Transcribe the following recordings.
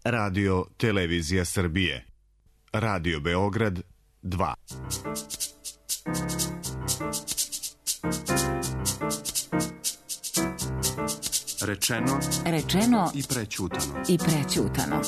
Radio Televizija Srbije. Radio Beograd 2. Rečeno i prećutano.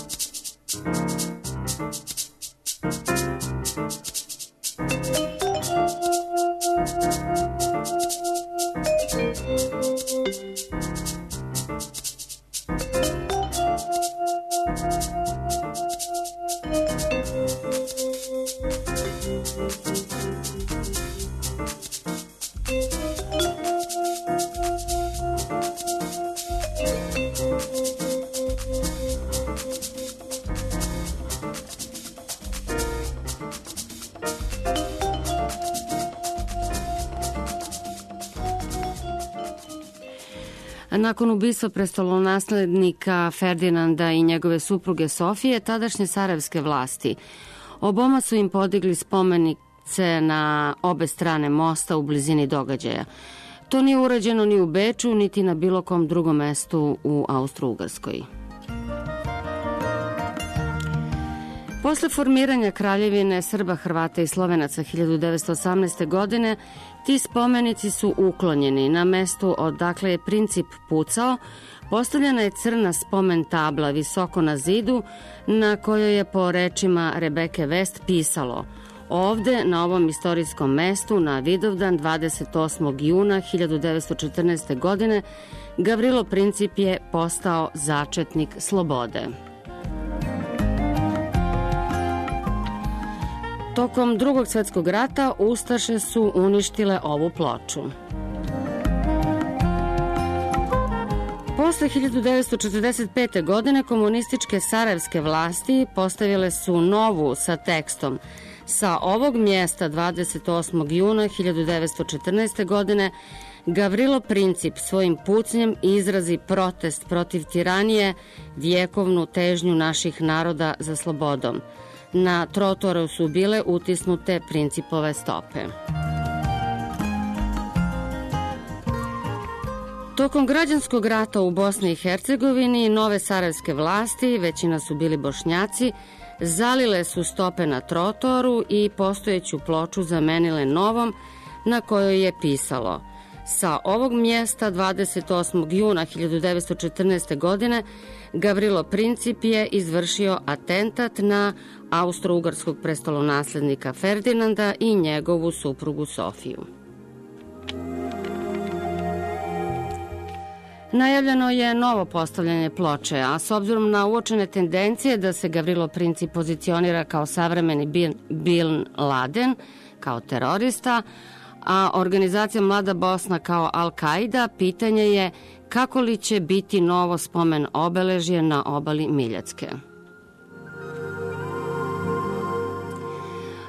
Nakon ubistva prestolonaslednika Ferdinanda i njegove supruge Sofije, tadašnje sarajevske vlasti oboma su im podigli spomenice na obe strane mosta u blizini događaja. To nije urađeno ni u Beču, niti na bilo kom drugom mestu u Austro-Ugarskoj. Posle formiranja Kraljevine Srba, Hrvata i Slovenaca 1918. godine, ti spomenici su uklonjeni. Na mestu odakle je princip pucao, postavljena je crna spomen tabla visoko na zidu, na kojoj je po rečima Rebeke Vest pisalo: ovde, na ovom istorijskom mestu, na Vidovdan 28. juna 1914. godine, Gavrilo Princip je postao začetnik slobode. Tokom Drugog svjetskog rata ustaše su uništile ovu ploču. Posle 1945. godine komunističke sarajevske vlasti postavile su novu sa tekstom: sa ovog mjesta 28. juna 1914. godine Gavrilo Princip svojim pucnjem izrazi protest protiv tiranije, vjekovnu težnju naših naroda za slobodom. Na trotoru su bile utisnute Principove stope. Tokom građanskog rata u Bosni i Hercegovini nove sarajevske vlasti, većina su bili Bošnjaci, zalile su stope na trotoru i postojeću ploču zamenile novom na kojoj je pisalo: sa ovog mjesta 28. juna 1914. godine Gavrilo Princip je izvršio atentat na austro-ugarskog prestolonaslednika Ferdinanda i njegovu suprugu Sofiju. Najavljeno je novo postavljanje ploče, a s obzirom na uočene tendencije da se Gavrilo Princip pozicionira kao savremeni Bin Laden, kao terorista, a organizacija Mlada Bosna kao Al-Kaida, pitanje je kako li će biti novo spomen obeležje na obali Miljacke.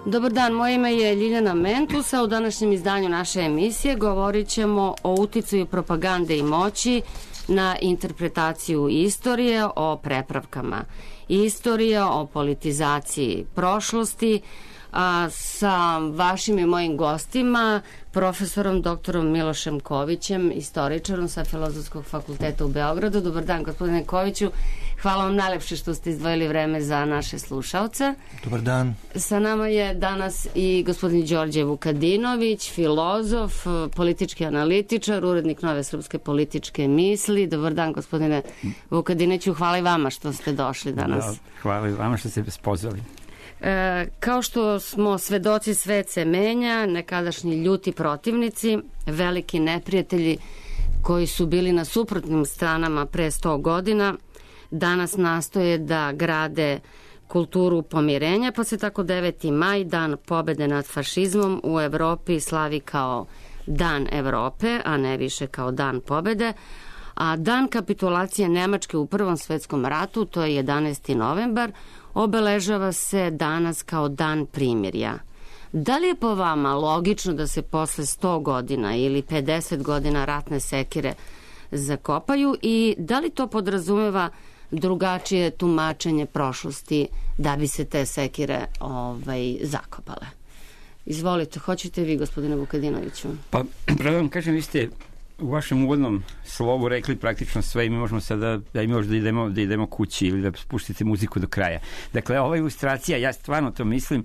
Dobar dan, moje ime je Ljiljana Mentus, a u današnjem izdanju naše emisije govorit ćemo o uticaju propagande i moći na interpretaciju istorije, o prepravkama istorije, o politizaciji prošlosti, a sa vašim i mojim gostima, profesorom doktorom Milošem Kovićem, istoričarom sa Filozofskog fakulteta u Beogradu. Dobar dan, gospodine Koviću. Hvala vam najlepše što ste izdvojili vreme za naše slušaoce. Dobar dan. Sa nama je danas i gospodin Đorđe Vukadinović, filozof, politički analitičar, urednik Nove srpske političke misli. Dobar dan, gospodine Vukadinoviću. Hvala i vama što ste došli danas. Da, hvala i vama što ste pozvali. Kao što smo svedoci, svet se menja, nekadašnji ljuti protivnici, veliki neprijatelji koji su bili na suprotnim stranama pre 100 godina, danas nastoje da grade kulturu pomirenja, pa se tako 9. maj, dan pobede nad fašizmom, u Evropi slavi kao Dan Evrope, a ne više kao Dan pobede, a dan kapitulacije Nemačke u Prvom svetskom ratu, to je 11. novembar, obeležava se danas kao dan primirja. Da li je po vama logično da se posle 100 godina ili 50 godina ratne sekire zakopaju i da li to podrazumeva drugačije tumačenje prošlosti da bi se te sekire zakopale? Izvolite, hoćete vi, gospodine Vukadinoviću? Pa, pravo vam kažem, vi ste u vašem uvodnom slovu rekli praktično sve i mi možemo sada da idemo kući ili da spuštite muziku do kraja. Dakle, ova ilustracija, ja stvarno to mislim,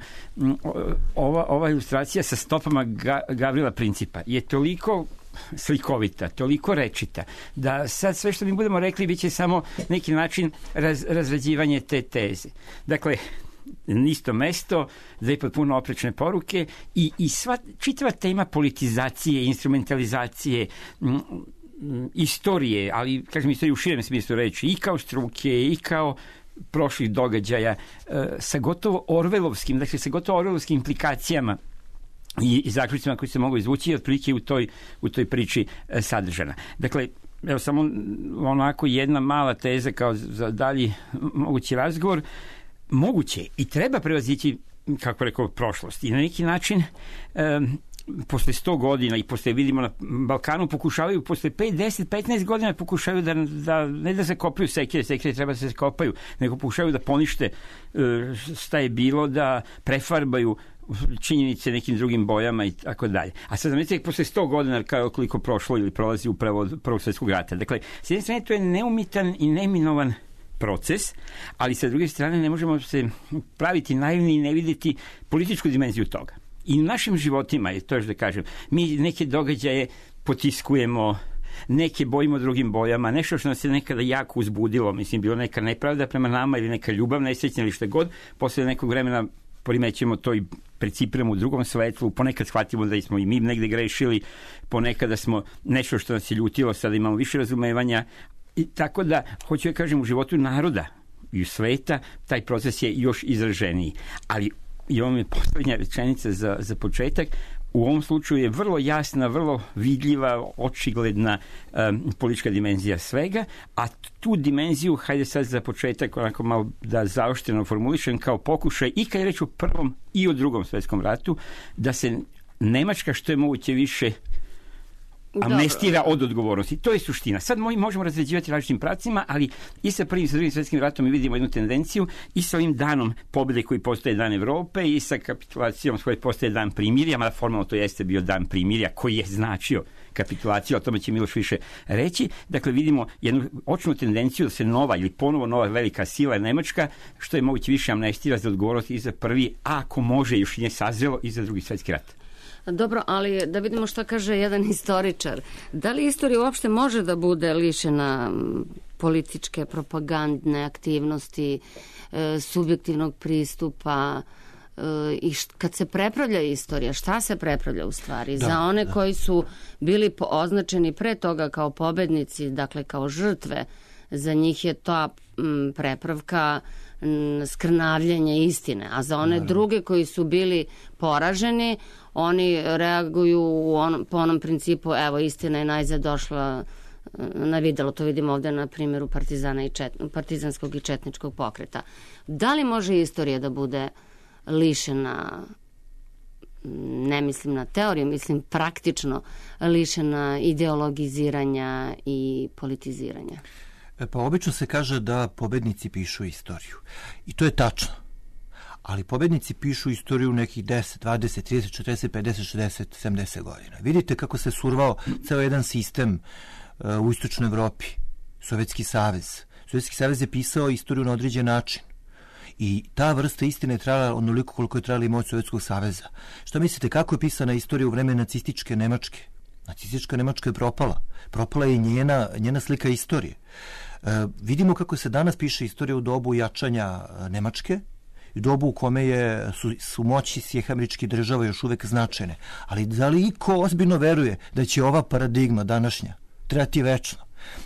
ova ilustracija sa stopama Gavrila Principa je toliko slikovita, toliko rečita, da sad sve što mi budemo rekli bit će samo neki način razrađivanje te teze. Dakle, isto mesto, dve potpuno oprečne poruke i čitava tema politizacije, instrumentalizacije, istorije, ali kažem istoriju u širem smislu reči, i kao struke, i kao prošlih događaja, sa gotovo orvelovskim implikacijama i zaključcima koji se mogu izvući otprilike u toj priči sadržana. Dakle, evo samo onako jedna mala teza kao za dalji mogući razgovor. Moguće i treba prevazići, kako rekao, prošlost. I na neki način posle 100 godina i posle, vidimo na Balkanu, pokušavaju posle 5, 10, 15 godina pokušavaju da ne da se kopaju sekire treba da se kopaju, nego pokušavaju da ponište šta je bilo, da prefarbaju činjenice nekim drugim bojama i tako dalje. A sad zamislite posle 100 godina koliko prošlo ili prolazi upravo od Prvog svjetskog rata. Dakle, s jedne strane to je neumitan i neminovan proces, ali sa druge strane ne možemo se praviti naivni i ne vidjeti političku dimenziju toga. I u našim životima, to još da kažem, mi neke događaje potiskujemo, neke bojimo drugim bojama, nešto što nas je nekada jako uzbudilo, mislim, bilo neka nepravda prema nama ili neka ljubav nesrećna ili što god, posle nekog vremena primećemo to i precipiramo u drugom svetlu, ponekad shvatimo da smo i mi negde grešili, ponekada smo nešto što nas je ljutilo, sada imamo više razumevanja. I tako da, hoću da kažem, u životu naroda i u sveta taj proces je još izraženiji. Ali i ovo mi je poslednja rečenica za početak, u ovom slučaju je vrlo jasna, vrlo vidljiva, očigledna politička dimenzija svega, a tu dimenziju, hajde sad za početak onako malo da zaoštreno formulišem, kao pokušaj i kad je reč o Prvom i o Drugom svetskom ratu, da se Nemačka što je moguće više amnestira od odgovornosti. To je suština. Sad možemo razređivati različitim pravcima, ali i sa Prvim i sa Drugim svetskim ratom mi vidimo jednu tendenciju i sa ovim danom pobjede koji postaje dan Evrope i sa kapitulacijom koji postaje dan primirja, mada formalno to jeste bio dan primirja koji je značio kapitulaciju, o tome će Miloš više reći. Dakle, vidimo jednu očnu tendenciju da se nova ili ponovo nova velika sila Nemačka što je moguće više amnestira za odgovornost i za prvi, a ako može još nije sazrelo, i za Drugi svjetski rat. Dobro, ali da vidimo što kaže jedan istoričar. Da li istorija uopšte može da bude lišena političke, propagandne aktivnosti, subjektivnog pristupa i kad se prepravlja istorija, šta se prepravlja u stvari? Za one koji su bili označeni pre toga kao pobednici, dakle kao žrtve, za njih je ta prepravka skrnavljenje istine, a za one druge koji su bili poraženi, oni reaguju po onom principu, evo, istina je najzad došla na videlo, to vidimo ovde na primjeru partizanskog i četničkog pokreta. Da li može istorija da bude lišena, ne mislim na teoriju, mislim praktično lišena ideologiziranja i politiziranja? Pa obično se kaže da pobednici pišu istoriju. I to je tačno. Ali pobednici pišu istoriju nekih 10, 20, 30, 40, 50, 60, 70 godina. Vidite kako se survao ceo jedan sistem u istočnoj Evropi. Sovjetski savez. Sovjetski savez je pisao istoriju na određen način. I ta vrsta istine je trajala onoliko koliko je trajala i moć Sovjetskog saveza. Šta mislite, kako je pisana istorija u vreme nacističke Nemačke? Nacistička Nemačka je propala. Propala je njena slika istorije. Vidimo kako se danas piše istorija u dobu jačanja Nemačke, u dobu u kome su moći Sjedinjenih Američkih Država još uvek značajne. Ali da li iko ozbiljno veruje da će ova paradigma današnja trajati večno?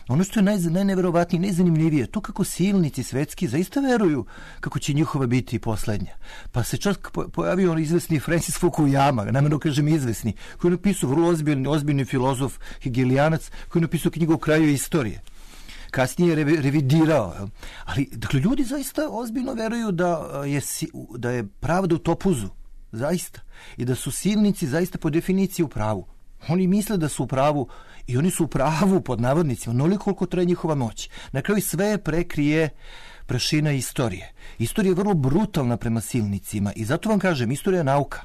Ono što je najneverovatnije, najzanimljivije, to kako silnici svetski zaista veruju kako će njihova biti poslednja. Pa se čak pojavio izvesni Francis Fukuyama, namjerno kažem izvesni, koji je napisao vrlo ozbiljni filozof hegelijanac, koji je napisao knjigu o kraju istorije. Kasnije je revidirao. Ali, dakle, ljudi zaista ozbiljno veruju da je pravda u topuzu. Zaista. I da su silnici zaista po definiciji u pravu. Oni misle da su u pravu i oni su u pravu pod navodnicima, onoliko koliko traje njihova moć. Na kraju sve prekrije prašina istorije. Istorija je vrlo brutalna prema silnicima i zato vam kažem, istorija je nauka.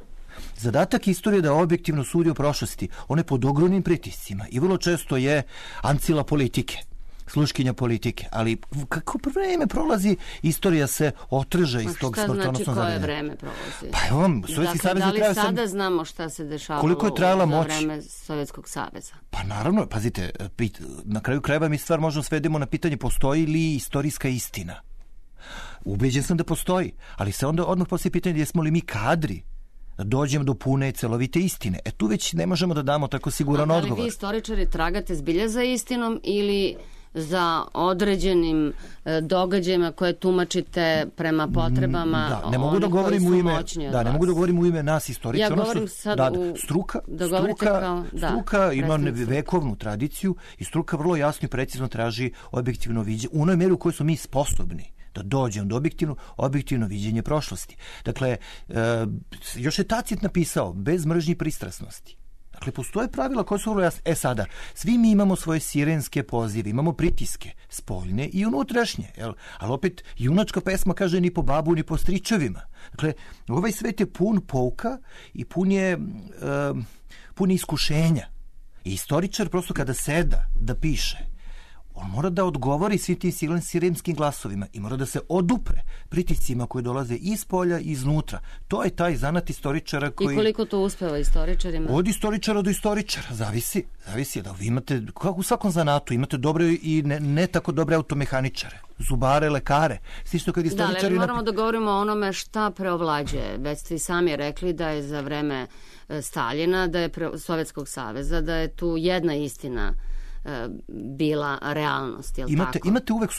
Zadatak istorije je da objektivno sudi o prošlosti. Ona je pod ogromnim pritiscima i vrlo često je ancila politike, sluškinja politike, ali kako vreme prolazi, istorija se otrže iz tog smrtonosnog zavljena. Šta znači koje vreme prolazi? Pa evo vam, Sovjetski savez da li sada znamo šta se dešavalo koliko je trajala za moć? vreme Sovjetskog saveza? Pa naravno, pazite, na kraju krajeva mi stvar možemo svedemo na pitanje postoji li istorijska istina. Ubeđen sam da postoji, ali se onda odmah postoji pitanje jesmo li mi kadri da dođemo do pune celovite istine. Tu već ne možemo da damo tako siguran odgovor. Da li vi istoričari tragate zbilja za istinom ili za određenim događajima koje tumačite prema potrebama ne mogu da govorim u ime, ne mogu da govorim u ime nas istoričara. Ja govorim sad struka ima vekovnu tradiciju i struka vrlo jasno i precizno traži objektivno viđenje u onoj meri u kojoj smo mi sposobni da dođem do objektivno viđenje prošlosti. Dakle, još je Tacit napisao bez mržnje i pristrasnosti. Dakle, postoje pravila koje su vrlo jasne. Sada, svi mi imamo svoje sirenske pozive, imamo pritiske, spoljne i unutrašnje. Ali opet, junačka pesma kaže ni po babu, ni po stričevima. Dakle, ovaj svet je pun pouka i pun je iskušenja. I istoričar prosto kada seda da piše, on mora da odgovori svim tim sirenskim glasovima i mora da se odupre pritiscima koji dolaze iz polja i iznutra. To je taj zanat istoričara koji... I koliko to uspeva istoričarima? Od istoričara do istoričara. Zavisi da vi imate, kako u svakom zanatu, imate dobre i ne tako dobre automehaničare, zubare, lekare. Slično kad istoričari... Da, ali moramo da govorimo o onome šta preovlađuje. Već ste i sami rekli da je za vreme Staljina, da je Sovjetskog saveza, da je tu jedna istina bila realnost, je li tako? Imate uvek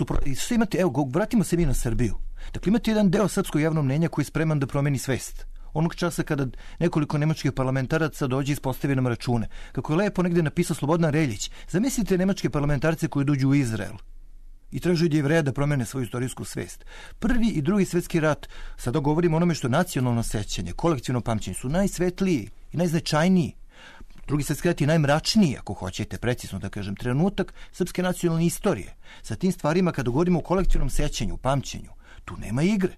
evo, vratimo se mi na Srbiju. Dakle, imate jedan deo srpskog javnog mnjenja koji je spreman da promeni svest. Onog časa kada nekoliko nemačkih parlamentaraca dođe i ispostavi nam račune. Kako je lepo negde napisao Slobodan Reljić, zamislite nemačke parlamentarce koji dođu u Izrael i traže od Jevreja da promene svoju istorijsku svest. Prvi i drugi svetski rat, sada govorimo o onome što je nacionalno sećanje, kolektivno pamćenje, su najsvetliji i najznačajniji. Drugi svjetski rat je najmračniji, ako hoćete, precizno da kažem, trenutak srpske nacionalne istorije. Sa tim stvarima, kada govorimo o kolektivnom sećanju, pamćenju, tu nema igre.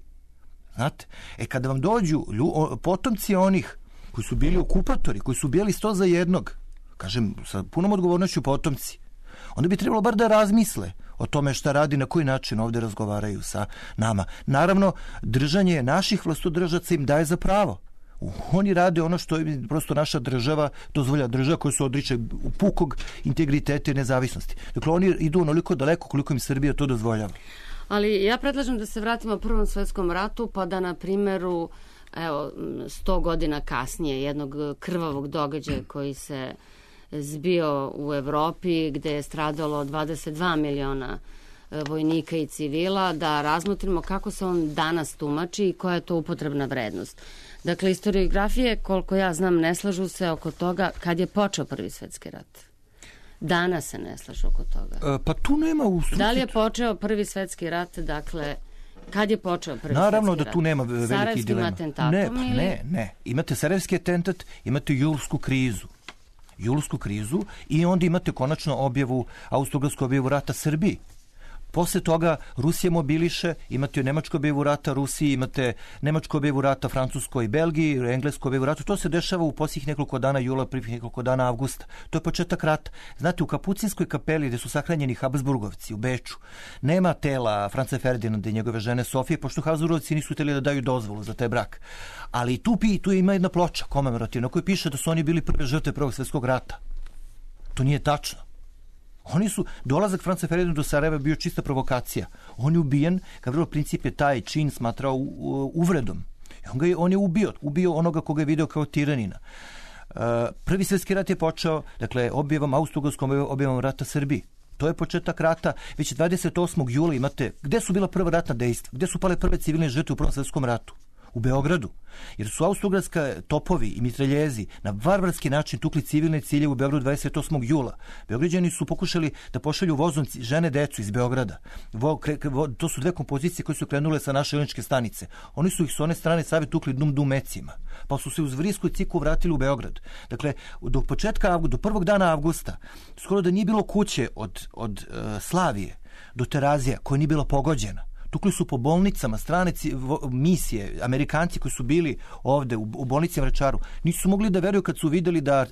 Znate? Kada vam dođu potomci onih koji su bili okupatori, koji su bili 100 za jednog, kažem, sa punom odgovornošću potomci, onda bi trebalo bar da razmisle o tome šta radi, na koji način ovdje razgovaraju sa nama. Naravno, držanje naših vlastodržaca im daje za pravo. Oni rade ono što je prosto naša država dozvolja, država koja se odriče pukog integriteta i nezavisnosti. Dakle, oni idu onoliko daleko koliko im Srbija to dozvoljava. Ali ja predlažem da se vratimo Prvom svjetskom ratu, pa da na primjeru 100 godina kasnije jednog krvavog događaja koji se zbio u Evropi, gde je stradalo 22 miliona vojnika i civila, da razmotrimo kako se on danas tumači i koja je to upotrebna vrednost. Dakle, historiografije, koliko ja znam, ne slažu se oko toga kad je počeo Prvi svjetski rat. Danas se ne slažu oko toga. Pa tu nema ustručiti. Da li je počeo Prvi svjetski rat, dakle, kad je počeo Prvi svjetski rat? Naravno da tu nema velikih dilema. Sarajevskim atentatom Ne. Imate Sarajevski atentat, imate julsku krizu i onda imate konačno austrougarsku objavu rata Srbiji. Posle toga Rusija mobiliše, imate nemačku objavu rata Rusiji, imate nemačku objavu rata Francuskoj i Belgiji, englesku objavu rata. To se dešava u posljednjih nekoliko dana jula, prvih nekoliko dana avgusta. To je početak rata. Znate, u Kapucinskoj kapeli gde su sahranjeni Habsburgovci u Beču, nema tela Franca Ferdinanda i njegove žene Sofije, pošto Habsburgovci nisu htjeli da daju dozvolu za taj brak. Ali tu ima jedna ploča komemorativna koja piše da su oni bili prve žrtve Prvog svjetskog rata. To nije tačno. Dolazak Franca Ferdinanda do Sarajeva bio čista provokacija. On je ubijen, Gavrilov princip je taj čin smatrao uvredom. On je ubio onoga koga je video kao tiranina. Prvi svjetski rat je počeo, dakle, austrougarskom objavom rata Srbiji. To je početak rata. Već 28. jula imate, gde su bila prva ratna dejstva? Gde su pale prve civilne žrtve u Prvom svjetskom ratu? U Beogradu. Jer su austrougarska topovi i mitraljezi na varvarski način tukli civilne ciljeve u Beogradu 28. jula. Beograđani su pokušali da pošalju vozom žene, decu iz Beograda. To su dve kompozicije koje su krenule sa naše železničke stanice. Oni su ih s one strane Save tukli dum mecima. Pa su se uz Vrijsku i Ciku vratili u Beograd. Dakle, do prvog dana avgusta, skoro da nije bilo kuće od Slavije do Terazija koja nije bila pogođena. tukli su po bolnicama, strane misije, Amerikanci koji su bili ovde u bolnici Vračaru, nisu mogli da veruju kad su videli da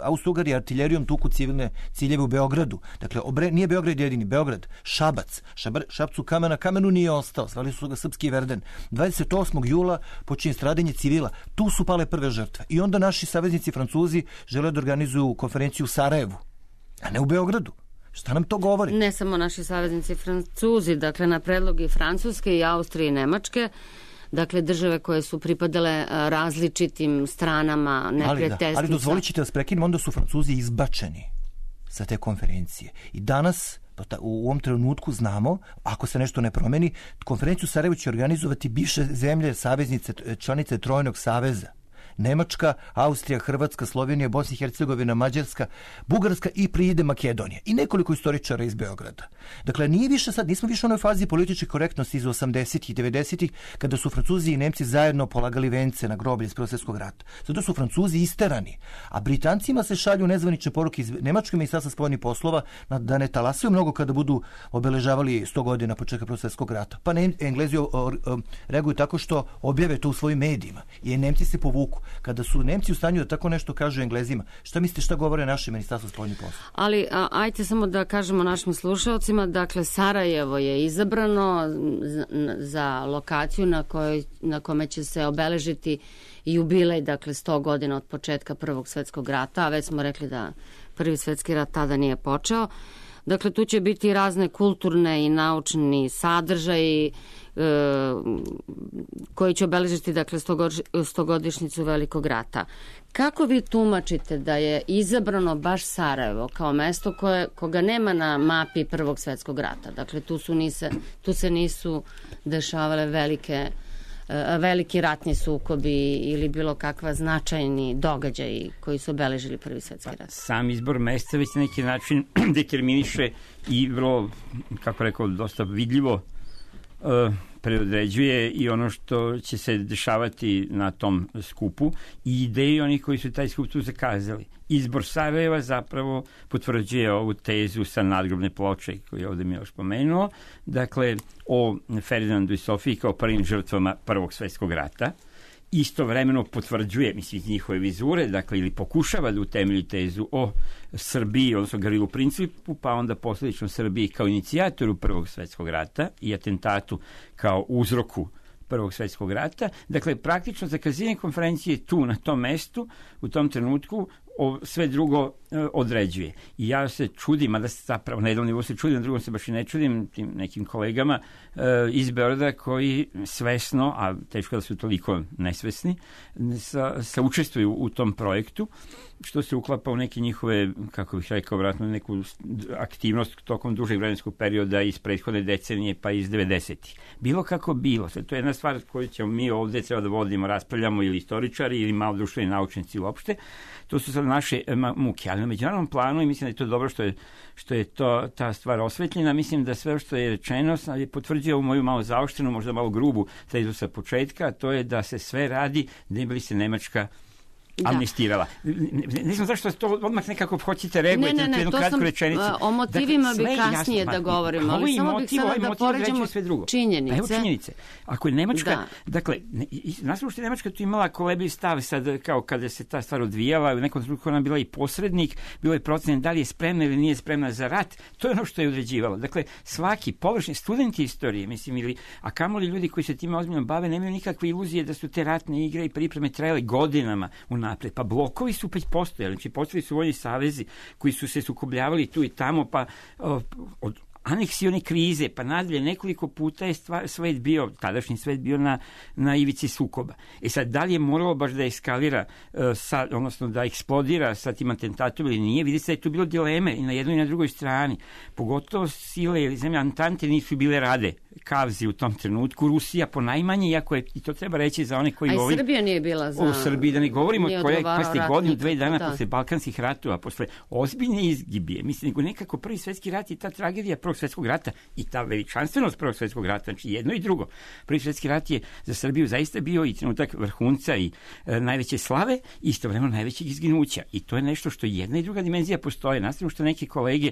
Austro-Ugari artiljerijom tuku civilne ciljeve u Beogradu. Dakle, nije Beograd jedini, Beograd, Šabac, Šapcu kamenu nije ostao, zvali su ga Srpski Verden. 28. jula počinje stradanje civila, tu su pale prve žrtve. I onda naši saveznici Francuzi žele da organizuju konferenciju u Sarajevu, a ne u Beogradu. Šta nam to govori? Ne samo naši saveznici Francuzi, dakle na predlog i Francuske i Austrije i Nemačke, dakle države koje su pripadale različitim stranama neprijateljstva. Ali dozvolit ćete da vas prekinem, onda su Francuzi izbačeni sa te konferencije. I danas, u ovom trenutku znamo, ako se nešto ne promeni, konferenciju Sarajevo će organizovati bivše zemlje, saveznice, članice Trojnog saveza. Nemačka, Austrija, Hrvatska, Slovenija, Bosna i Hercegovina, Mađarska, Bugarska i pride Makedonija. I nekoliko istoričara iz Beograda. Dakle, nismo više u onoj fazi političke korektnosti iz 80-ih i 90-ih, kada su Francuzi i Nemci zajedno polagali vence na groblje iz Prvog svjetskog rata. Zato su Francuzi isterani. A Britancima se šalju nezvanične poruke iz Nemačkog ministarstva spoljnih poslova da ne talasaju mnogo kada budu obeležavali 100 godina početka Prvog svjetskog rata. Pa Englezi reaguju tako što objave to u svojim medijima. I Nemci se povuku. Kada su Nemci u stanju da tako nešto kažu Englezima, šta mislite šta govore naše ministarstvo spoljnih poslova? Ali ajte samo da kažemo našim slušalcima, dakle Sarajevo je izabrano za lokaciju na kome će se obeležiti jubilej, dakle 100 godina od početka Prvog svjetskog rata, a već smo rekli da Prvi svjetski rat tada nije počeo. Dakle, tu će biti razne kulturne i naučni sadržaji koji će obeležiti, dakle, 100-godišnjicu Velikog rata. Kako vi tumačite da je izabrano baš Sarajevo kao mesto koga nema na mapi Prvog svjetskog rata? Dakle, tu se nisu dešavale veliki ratni sukobi ili bilo kakva značajni događaji koji su obeležili Prvi svjetski rat. Sam izbor mesta već na neki način determiniše i vrlo, kako rekao, dosta vidljivo predodređuje i ono što će se dešavati na tom skupu i ideje onih koji su taj skup tu zakazali. Izbor Sarajeva zapravo potvrđuje ovu tezu sa nadgrobne ploče koju je ovdje Miloš pomenuo, dakle o Ferdinandu i Sofiji kao prvim žrtvama Prvog svjetskog rata. Istovremeno potvrđuje, mislim, njihove vizure, dakle, ili pokušava da utemelji tezu o Srbiji, odnosno Gavrilu Principu, pa onda posljedično Srbiji kao inicijatoru Prvog svjetskog rata i atentatu kao uzroku Prvog svjetskog rata. Dakle, praktično zakazivanje konferencije tu, na tom mestu, u tom trenutku, sve drugo određuje. I ja se čudim, a da se zapravo na jednom nivou se čudim, na drugom se baš i ne čudim tim nekim kolegama iz Beograda koji svesno, a teško da su toliko nesvesni, se učestvuju u tom projektu, što se uklapa u neke njihove, kako bih rekao, vratno neku aktivnost tokom dužeg vremenskog perioda iz prethodne decenije pa iz 90-ih. Bilo kako bilo. To je jedna stvar koju ćemo mi ovdje treba da vodimo, raspravljamo ili istoričari ili malo društveni naučnici uopšte. To su sad naše muke, ali na međunarodnom planu i mislim da je to dobro što je ta stvar osvetljena. Mislim da sve što je rečeno potvrđuje u moju malo zaoštrenu, možda malo grubu tezu sa početka, a to je da se sve radi da bi se Nemačka amnestirala. Ne znam zašto to odmah nekako hoćete reagujete na jednu kratku rečenicu. O motivima bi kasnije da govorimo, ali samo bih sada da poređemo činjenice. Evo činjenice. Ako je Nemačka, dakle, nastavno što je Nemačka tu imala kolebljiv stav sad, kao kada se ta stvar odvijala, u nekom trenutku ona bila i posrednik, bilo je procen da li je spremna ili nije spremna za rat, to je ono što je određivalo. Dakle, svaki površni studenti istorije, mislim, a kamoli ljudi koji se time ozbiljno bave, nemaju nikakve iluzije da su te ratne igre i pripreme trajale godinama napred. Pa blokovi su već postojali, znači postojali su vojni savezi koji su se sukobljavali tu i tamo, pa od aneksione krize, pa nadalje nekoliko puta je tadašnji svet bio na ivici sukoba. Sad, da li je moralo baš da eskalira, odnosno da eksplodira sa tim atentatom ili nije, vidite da je tu bilo dileme i na jednoj i na drugoj strani. Pogotovo sile ili zemlje Antante nisu bile rade kavzi u tom trenutku. Rusija ponajmanje, iako je, i to treba reći za one koji govori... A i Srbija nije bila za... U Srbiji, da ne govorimo koje godinu, 2 dana posle Balkanskih ratova, posle ozbiljne izgibije. Mislim, nego nekako Prvi svjetski rat i ta tragedija Prvog svjetskog rata i ta veličanstvenost Prvog svjetskog rata, znači jedno i drugo. Prvi svjetski rat je za Srbiju zaista bio i trenutak vrhunca i najveće slave i istovremeno najvećeg izginuća. I to je nešto što jedna i druga dimenzija postoje. Nastavno što neke kolege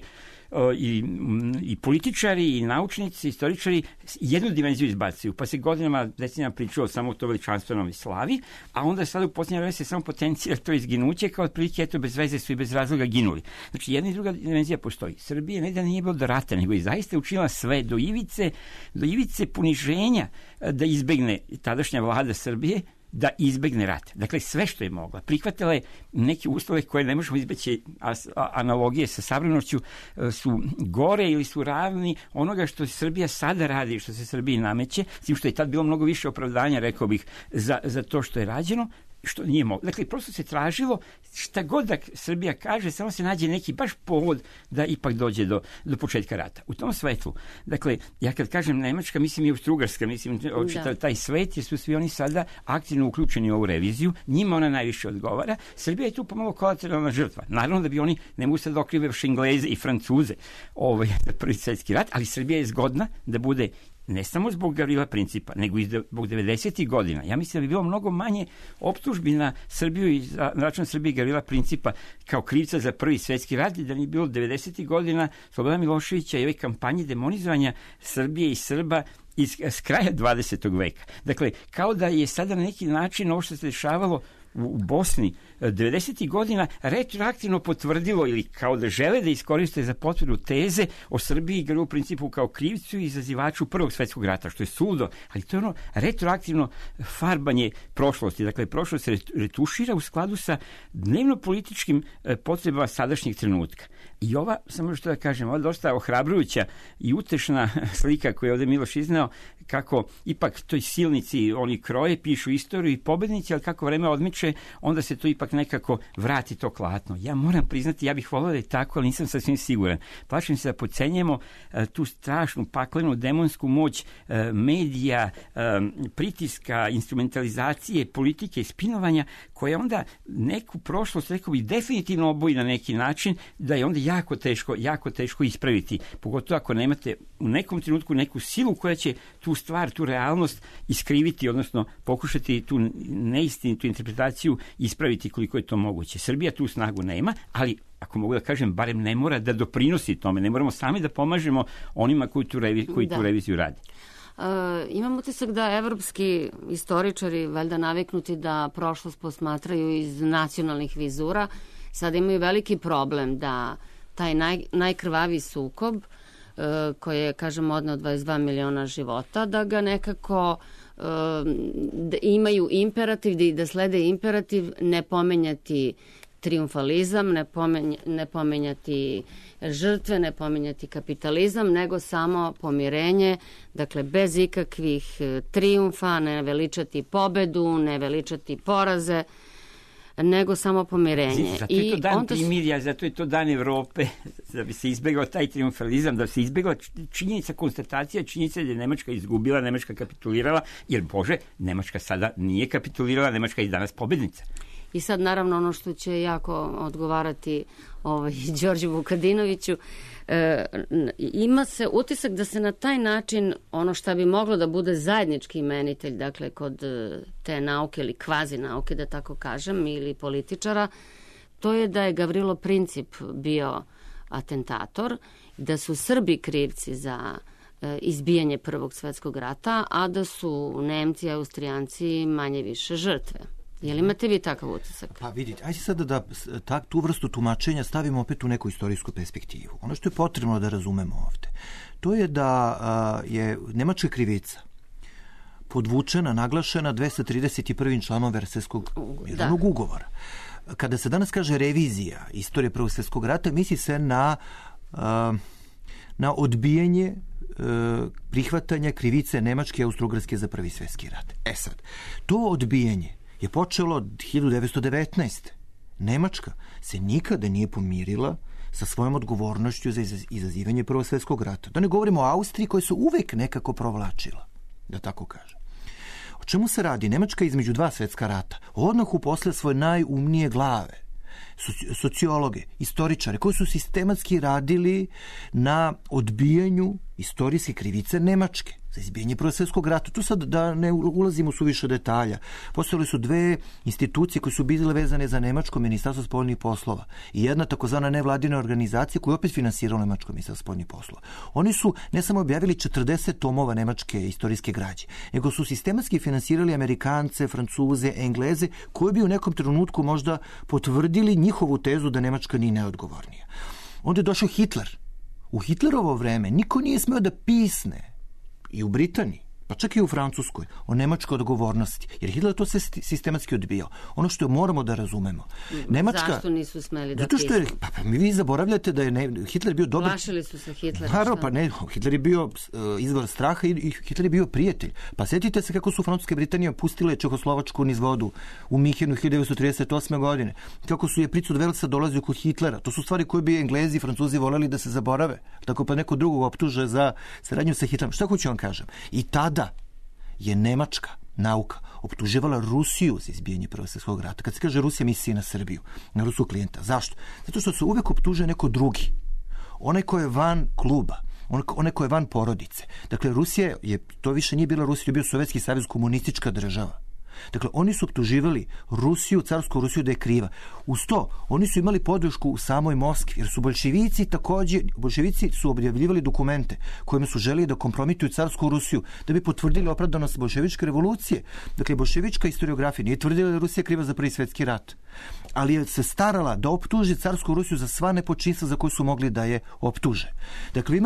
i političari, i naučnici, i istoričari jednu dimenziju izbacuju, pa se godinama, decenijama pričalo samo o to veličanstvenom slavi, a onda sada u posljednje vreme se samo potencija to izginuće, kao otprilike, eto, bez veze su i bez razloga ginuli. Znači, jedna i druga dimenzija postoji. Srbija ne da nije bilo do rata, nego je zaista učinila sve do ivice poniženja da izbegne tadašnja vlada Srbije, da izbegne rat. Dakle, sve što je mogla. Prihvatila je neke uslove koje ne možemo izbeći, analogije sa savremenošću su gore ili su ravni onoga što Srbija sada radi, što se Srbiji nameće, s tim što je tad bilo mnogo više opravdanja, rekao bih, za to što je rađeno, što nije moglo. Dakle, prosto se tražilo šta god da Srbija kaže, samo se nađe neki baš povod da ipak dođe do početka rata. U tom svetlu, dakle, ja kad kažem Nemačka, mislim i Austrougarska, mislim taj svet, jer su svi oni sada aktivno uključeni u ovu reviziju, njima ona najviše odgovara. Srbija je tu pomalo kolateralna žrtva. Naravno da bi oni, ne mogu sad okrive Engleze i Francuze za Prvi svjetski rat, ali Srbija je zgodna da bude ne samo zbog Gavrila Principa, nego i zbog 90. godina. Ja mislim da bi bilo mnogo manje optužbi na Srbiju i na račun Srbije i Gavrila Principa kao krivca za Prvi svjetski rat, da nije bilo 90. godina Slobodana Miloševića i ove kampanje demonizovanja Srbije i Srba s kraja 20. veka. Dakle, kao da je sada na neki način ovo što se dešavalo u Bosni 90. godina retroaktivno potvrdilo ili kao da žele da iskoriste za potvrdu teze o Srbiji i Gavrilu Principu kao krivcu i izazivaču Prvog svjetskog rata, što je suludo, ali to je ono retroaktivno farbanje prošlosti. Dakle, prošlost se retušira u skladu sa dnevno-političkim potrebama sadašnjeg trenutka. I ova, samo što da kažem, ova dosta ohrabrujuća i utešna slika koju je ovdje Miloš izneo, kako ipak toj silnici oni kroje, pišu istoriju i pobednici, ali kako vreme odmiče, onda se to ipak nekako vrati to klatno. Ja moram priznati, ja bih volio da je tako, ali nisam sasvim siguran. Plašim se da podcenjujemo tu strašnu, paklenu, demonsku moć medija, pritiska, instrumentalizacije, politike, spinovanja, koja onda neku prošlost, rekao bih, definitivno oboji na neki način, da je onda jako teško ispraviti. Pogotovo ako nemate u nekom trenutku neku silu koja će tu stvar, tu realnost iskriviti, odnosno pokušati tu neistinitu interpretaciju ispraviti koliko je to moguće. Srbija tu snagu nema, ali ako mogu da kažem, barem ne mora da doprinosi tome. Ne moramo sami da pomažemo onima koji tu reviziju radi. Imam utisak da evropski istoričari, valjda naviknuti da prošlost posmatraju iz nacionalnih vizura, sada imaju veliki problem da taj najkrvaviji sukob koji je, kažem, odneo 22 miliona života, da ga nekako da imaju imperativ, da slede imperativ ne pomenjati triumfalizam, ne pomenjati žrtve, ne pomenjati kapitalizam, nego samo pomirenje, dakle bez ikakvih triumfa, ne veličati pobedu, ne veličati poraze, nego samo pomirenje. Zato je to dan primirja, zato je to dan Evrope, da bi se izbjegao taj triumfalizam, da bi se izbjegla konstatacija činjenica da je Nemačka izgubila, Nemačka kapitulirala, jer Bože, Nemačka sada nije kapitulirala, Nemačka je danas pobednica. I sad naravno ono što će jako odgovarati Đorđu Vukadinoviću, ima se utisak da se na taj način ono što bi moglo da bude zajednički imenitelj, dakle kod te nauke ili kvazi nauke, da tako kažem, ili političara, to je da je Gavrilo Princip bio atentator, da su Srbi krivci za izbijanje Prvog svjetskog rata, a da su Nemci i Austrijanci manje više žrtve. Je li imate vi takav utisak? Pa vidite, ajde sada da tu vrstu tumačenja stavimo opet u neku istorijsku perspektivu. Ono što je potrebno da razumemo ovde, to je da je nemačka krivica podvučena, naglašena 231. članom Versajskog mirovnog ugovora. Kada se danas kaže revizija istorije Prvog svjetskog rata, misli se na odbijanje prihvatanja krivice Nemačke i Austrougarske za Prvi svjetski rat. Sad, to odbijanje je počelo 1919. Nemačka se nikada nije pomirila sa svojom odgovornošću za izazivanje Prvog svjetskog rata. Da ne govorimo o Austriji koja se uvek nekako provlačila, da tako kažem. O čemu se radi? Nemačka između dva svjetska rata odmah uposlila svoje najumnije glave, sociologe, istoričare, koji su sistematski radili na odbijanju istorijske krivice Nemačke. za izbijanje Prvog svjetskog rata. Tu sad da ne ulazimo u suviše detalja. Postojale su dve institucije koje su bile vezane za nemačko ministarstvo spoljnih poslova i jedna takozvana nevladina organizacija koja je opet finansirala nemačko ministarstvo spoljnih poslova. Oni su ne samo objavili 40 tomova nemačke istorijske građe, nego su sistematski finansirali Amerikance, Francuze, Engleze, koji bi u nekom trenutku možda potvrdili njihovu tezu da Nemačka nije neodgovornija. Onda je došao Hitler. U Hitlerovo vreme niko nije smeo da pisne i u Britaniji, pa čak i u Francuskoj, o nemačkoj odgovornosti. Jer Hitler to se sistematski odbijao. Ono što moramo da razumemo. Nemačka, zašto nisu smeli da zato što je, vi zaboravljate da je Hitler bio dobar... Plašili su se Hitlera. Naravno, pa ne, Hitler je bio izvor straha i Hitler je bio prijatelj. Pa sjetite se kako su Francuska i Britanija pustile Čehoslovačku niz vodu u Minhenu 1938. godine. Kako su je pricu od Velsa dolazio kod Hitlera. To su stvari koje bi Englezi i Francuzi voljeli da se zaborave. Tako pa neko drugog optuže za saradnju sa Hitlerom. Šta hoću vam kažem? I tada je nemačka nauka optuživala Rusiju za izbijanje Prvog svjetskog rata. Kad se kaže Rusija, misli na Srbiju, na ruskog klijenta. Zašto? Zato što se uvek optužuje neko drugi. Onaj ko je van kluba, onaj ko je van porodice. Dakle, Rusija to više nije bila Rusija, to je bio Sovjetski savez, komunistička država. Dakle, oni su optuživali Rusiju, carsku Rusiju da je kriva. Uz to, oni su imali podršku u samoj Moskvi, jer su bolševici su objavljivali dokumente kojima su želeli da kompromituju carsku Rusiju, da bi potvrdili opravdanost bolševičke revolucije. Dakle, bolševička historiografija nije tvrdila da je Rusija kriva za Prvi svjetski rat, ali je se starala da optuži carsku Rusiju za sva nepočinstva za koje su mogli da je optuže. Dakle,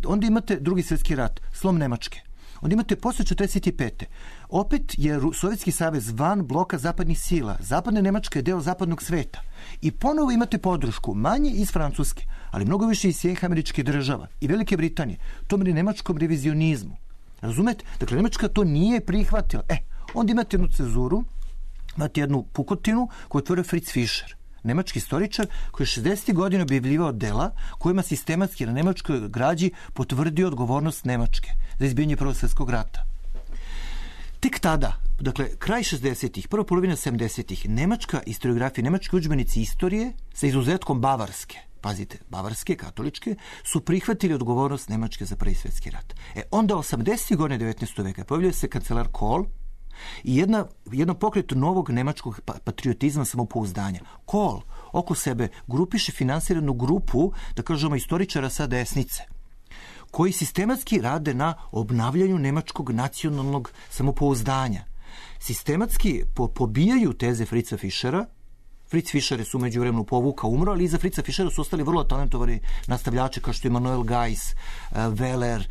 onda imate Drugi svjetski rat, slom Nemačke. Onda imate posle 45. Opet je Sovjetski savez van bloka zapadnih sila. Zapadna Nemačka je deo zapadnog sveta. I ponovo imate podršku, manje iz Francuske, ali mnogo više iz Sjedinjenih Američkih Država i Velike Britanije, tom nemačkom revizionizmu. Razumete? Dakle, Nemačka to nije prihvatila. Onda imate jednu cenzuru, imate jednu pukotinu koju je otvorio Fritz Fischer, nemački istoričar koji je 60. godina objavljivao dela kojima sistematski na nemačkoj građi potvrdio odgovornost Nemačke za izbijanje Prvog svjetskog rata. Tek tada, dakle, kraj 60-ih, prva polovina 70-ih, nemačka historiografija, nemački udžbenici istorije, sa izuzetkom bavarske, pazite, bavarske, katoličke, su prihvatili odgovornost Nemačke za Prvi svjetski rat. Onda 80. godine 19. veka pojavljuje se kancelar Kohl i jedno pokret novog nemačkog patriotizma, samopouzdanja. Kohl oko sebe grupiše finansiranu grupu, da kažemo, istoričara sa desnice, koji sistematski rade na obnavljanju nemačkog nacionalnog samopouzdanja. Sistematski pobijaju teze Fritza Fischera. Fritz Fischer je su među vremenu povukao, umro, ali iza Fritza Fischera su ostali vrlo talentovani nastavljači kao što je Manuel Geiss, Weller,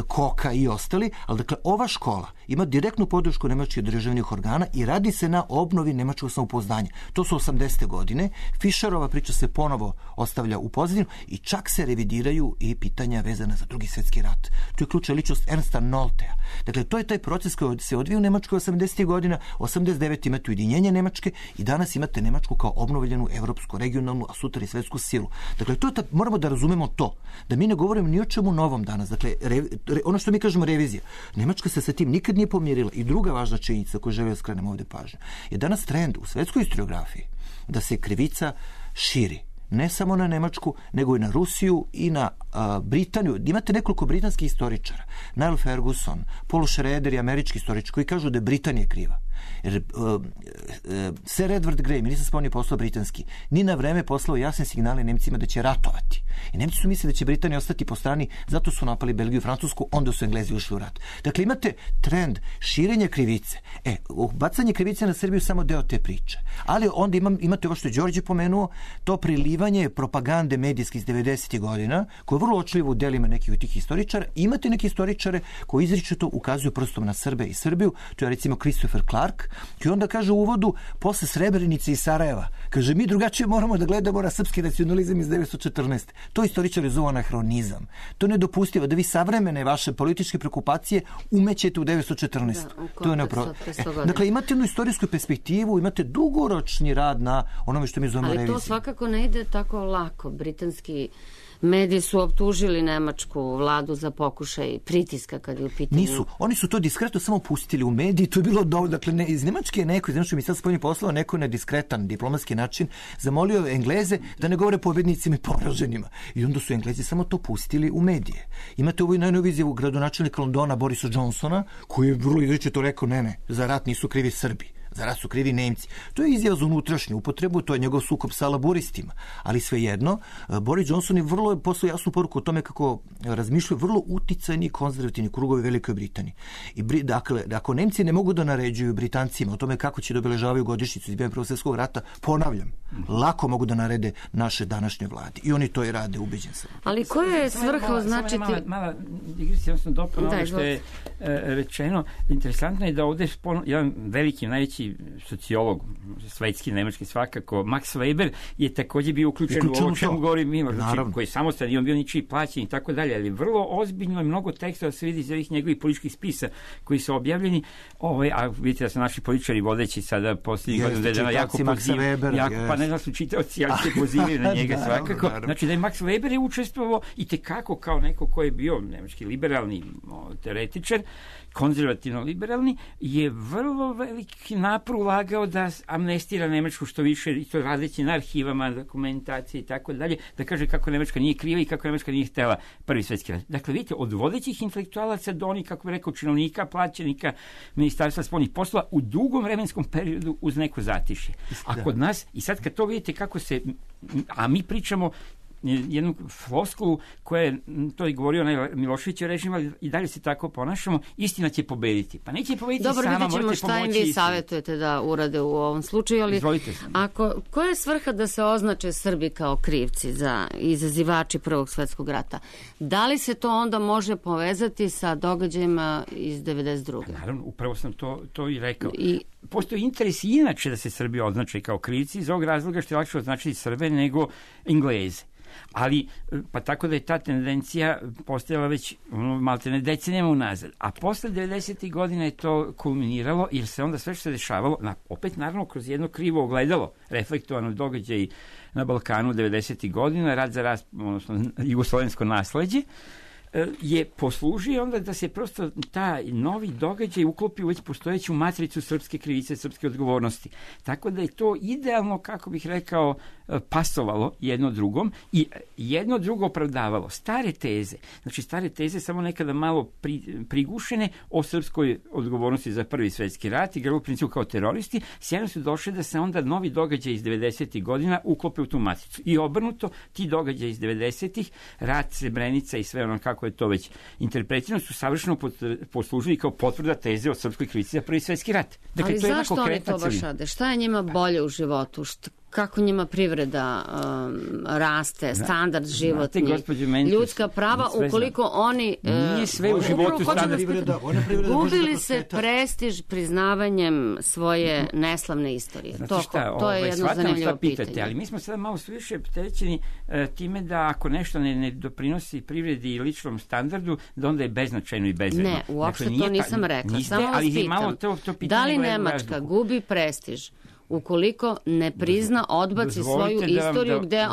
Koka i ostali. Ali dakle, ova škola ima direktnu podršku nemačkih državnih organa i radi se na obnovi nemačkog samopouzdanja. To su 80. godine. Fischerova priča se ponovo ostavlja u pozadinu i čak se revidiraju i pitanja vezana za Drugi svjetski rat. Tu je ključna ličnost Ernsta Noltea. Dakle, to je taj proces koji se odvija u Nemačkoj 80. godina. 89. imate ujedinjenje Nemačke i danas imate Nemačku kao obnovljenu evropsku, regionalnu, a sutra i svetsku silu. Dakle, moramo da razumemo to, da mi ne govorimo ni o čemu novom danas. Dakle, ono što mi kažemo revizija. Nemačka se sa tim nikad nije pomirila. I druga važna činjenica koju želim da skrenem ovdje pažnju je danas trend u svetskoj historiografiji da se krivica širi. Ne samo na Nemačku, nego i na Rusiju i na Britaniju. Imate nekoliko britanskih istoričara. Niall Ferguson, Paul Schroeder i američki istoričar koji kažu da je Britanija kriva. Jer Sir Edward Grey, ministar spoljnih poslova britanski, ni na vreme poslao jasne signale Nemcima da će ratovati. I Nemci su mislili da će Britanija ostati po strani, zato su napali Belgiju i Francusku, onda su Englezi ušli u rat. Dakle, imate trend širenja krivice. Bacanje krivice na Srbiju je samo deo te priče. Ali onda imate ovo što je Đorđe pomenuo, to prilivanje propagande medijske iz 90. godina, koje je vrlo očljivo u delima nekih od tih historičara. Imate neki historičare koji izričito ukazuju prstom na Srbe i Srbiju. To je recimo Christopher Clark, koji onda kaže u uvodu, posle Srebrenice i Sarajeva, kaže, mi drugačije moramo da gledamo na srpski nacionalizam iz 1914. To istoričari zovu anahronizam. To je nedopustivo da vi savremene vaše političke preokupacije umećete u 1914. To je neopravdano. Dakle, imate jednu istorijsku perspektivu, imate dugoročni rad na onome što mi zovemo reviziju. Ali to svakako ne ide tako lako. Britanski Mediji su optužili nemačku vladu za pokušaj pritiska kad je u pitanju. Nisu. Oni su to diskretno samo pustili u mediji. To je bilo dovoljno. Dakle, iz Nemačke je neko, iz Nemačke ministarstva spoljnih poslova, neko na diskretan diplomatski način zamolio Engleze da ne govore pobednicima i poraženima. I onda su Englezi samo to pustili u medije. Imate ovu najnoviju izjavu gradonačelnika Londona Borisa Johnsona, koji je vrlo izričito rekao ne, za rat nisu krivi Srbi. Za rat su krivi Nemci. To je izjava za unutrašnju upotrebu, to je njegov sukob sa laboristima. Ali svejedno, Boris Johnson je vrlo poslao jasnu poruku o tome kako razmišljaju vrlo uticajni konzervativni krugovi Velikoj Britaniji. I dakle, ako Nemci ne mogu da naređuju Britancima o tome kako će da obeležavaju godišnjicu izbijanja Prvog svjetskog rata, ponavljam, lako mogu da narede naše današnje vlade. I oni to i rade, ubeđen sam. Ali koja je svrha označiti... Mala digresija, odnosno dopuna ono što je rečeno. Interesantno je da ovde jedan veliki, najveći sociolog, svetski, nemački svakako, Max Weber je takođe bio uključen u ovo čemu govori Miloš, koji je samostalni i on bio ničiji plaćen i tako dalje, ali vrlo ozbiljno je mnogo teksta da se vidi iz ovih njegovih političkih spisa koji su objavljeni, a vidite da su naši političari vodeći sada posljednjih godina dana jako pozivaju, pa ne znam su čitaoci, ali se pozivaju na njega svakako. Znači da je Max Weber je učestvovao i tekako kao neko ko je bio nemački liberalni teoretičar, konzervativno-liberalni, je vrlo veliki napor ulagao da amnestira Nemačku što više, i to radeći na arhivama, dokumentacije i tako dalje, da kaže kako Nemačka nije kriva i kako Nemačka nije htela Prvi svjetski rat. Dakle, vidite, od vodećih intelektualaca do onih, kako bi rekao, činovnika, plaćenika Ministarstva spoljnih poslova u dugom vremenskom periodu uz neko zatišje. A kod nas, i sad kad to vidite kako se, a mi pričamo jednu floskulu koja je, to je govorio Miloševićev režim, ali i dalje se tako ponašamo, istina će pobediti. Pa neće pobediti sama, morate pomoći. Dobro, vidjet ćemo šta im vi savjetujete da urade u ovom slučaju, ali koja je svrha da se označe Srbi kao krivci za izazivači Prvog svjetskog rata? Da li se to onda može povezati sa događajima iz 92. Naravno, upravo sam to i rekao. Postoji interes inače da se Srbi označe kao krivci iz ovog razloga što je lakše označiti Srbe nego Engleze. Ali, pa tako da je ta tendencija postojala već maltene decenijama unazad. A posle 90. godina je to kulminiralo, jer se onda sve što se dešavalo, opet naravno kroz jedno krivo ogledalo, reflektovano događaj na Balkanu 90. godina, rat za rat, odnosno jugoslovensko nasleđe, je poslužio onda da se prosto taj novi događaj uklopi u već postojeću matricu srpske krivice, srpske odgovornosti. Tako da je to idealno, kako bih rekao, pasovalo jedno drugom i jedno drugo opravdavalo. Stare teze samo nekada malo prigušene o srpskoj odgovornosti za Prvi svjetski rat i u principu kao teroristi, sjajno su došli da se onda novi događaj iz 90. godina uklope u tu matricu. I obrnuto, ti događaji iz 90. rat, Srebrenica i sve ono kako je to već interpretirano, su savršeno poslužili kao potvrda teze o srpskoj krivici za Prvi svjetski rat. Dakle, ali zašto oni to baš rade? Šta je njima bolje u životu? Kako njima privreda raste, standard životni, ljudska prava, ukoliko oni nije sve u životu standard. Gubili se prestiž priznavanjem svoje neslavne istorije. To je jedno zanimljivo pitanje. Ali mi smo sada malo više opterećeni time da ako nešto ne doprinosi privredi i ličnom standardu, da onda je beznačajno i bezvredno. Ne, uopšte to nisam rekla. Samo vas pitam, da li Nemačka gubi prestiž ukoliko ne prizna, odbaci svoju istoriju gde je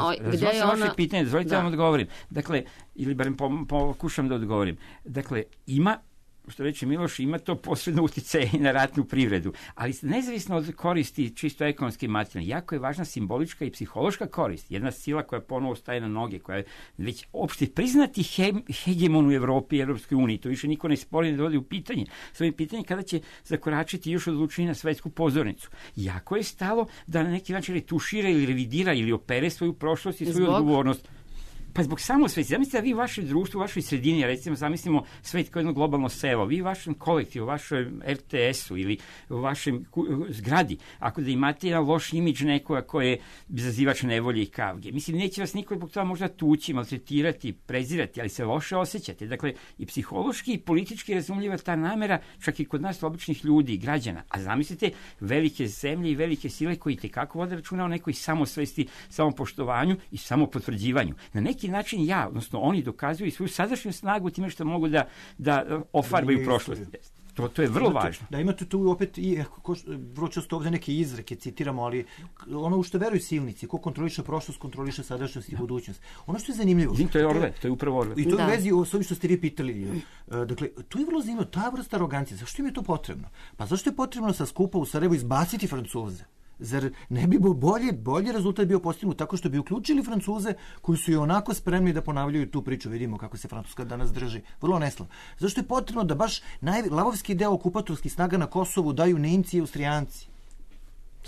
ona... Vaše pitanje, dozvolite vam odgovorim. Dakle, ili barem pokušam da odgovorim. Dakle, ima, što reče Miloš, ima to posredno uticaje i na ratnu privredu. Ali nezavisno od koristi čisto ekonomske i materijalne, jako je važna simbolička i psihološka korist. Jedna sila koja ponovo staje na noge, koja je već opšte priznati hegemon u Evropi i Evropskoj uniji. To više niko ne spori, ne dovodi u pitanje. Svoje pitanje kada će zakoračiti još odlučenje na svetsku pozornicu. Jako je stalo da na neki način retušira ili revidira ili opere svoju prošlost i svoju odgovornost. Pa zbog samo sveti. Zamislite da vi u vašem društvu, u vašoj sredini, recimo, zamislimo svet kao jedno globalno selo, vi u vašem kolektivu, u vašoj RTS-u ili u vašem zgradi, ako da imate jedan loš imidž nekoga koji je izazivač nevolje i kavge. Mislim, neće vas niko zbog toga možda tući, maltretirati, prezirati, ali se loše osjećate. Dakle, i psihološki i politički razumljiva ta namera, čak i kod nas običnih ljudi i građana. A zamislite velike zemlje i velike sile koji tekako vode računa o nekoj samosvesti, samopoštovanju i samopotvrđivanju. Na neki način odnosno oni dokazuju svoju sadašnju snagu time što mogu da ofarbaju prošlost. To je vrlo važno. Da, imate tu opet i vrlo često ovde neke izreke citiramo, ali ono u što veruju silnici, ko kontroliše prošlost, kontroliše sadašnjost i budućnost. Ono što je zanimljivo. To je Orwell, to je upravo Orwell. I to je u vezi s ovim što ste vi pitali. Dakle, to je vrlo zanimljivo, ta vrsta arogancije. Zašto im je to potrebno? Pa zašto je potrebno sa skupa u Sarajevu izbaciti Francuze? Zar ne bi bolji rezultat bio postignut tako što bi uključili Francuze koji su i onako spremni da ponavljaju tu priču? Vidimo kako se Francuska danas drži. Vrlo neslavno. Zašto je potrebno da baš lavovski deo okupatorskih snaga na Kosovu daju Nemci i Austrijanci?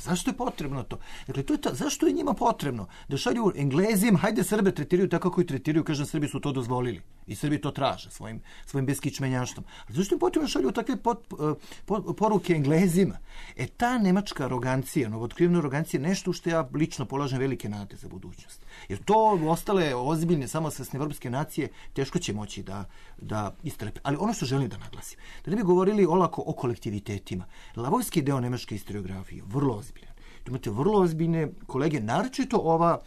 Zašto je potrebno to? Dakle, zašto je njima potrebno da šalju Englezima, hajde Srbe tretiraju tako kako i tretiraju, kažem, Srbi su to dozvolili i Srbi to traže svojim beskičmenjaštvom. Ali zašto je potrebno da šalju takve poruke Englezima? Ta nemačka arogancija, novootkrivena arogancija, nešto što ja lično polažem velike nade za budućnost. Jer to ostale ozbiljne samosvesne evropske nacije teško će moći da istrpe. Ali ono što želim da naglasim, da ne bi govorili olako o kolektivitetima. Lavovski deo nemačke historiografije vrlo ozbiljan. Imate vrlo ozbiljne kolege, naročito ova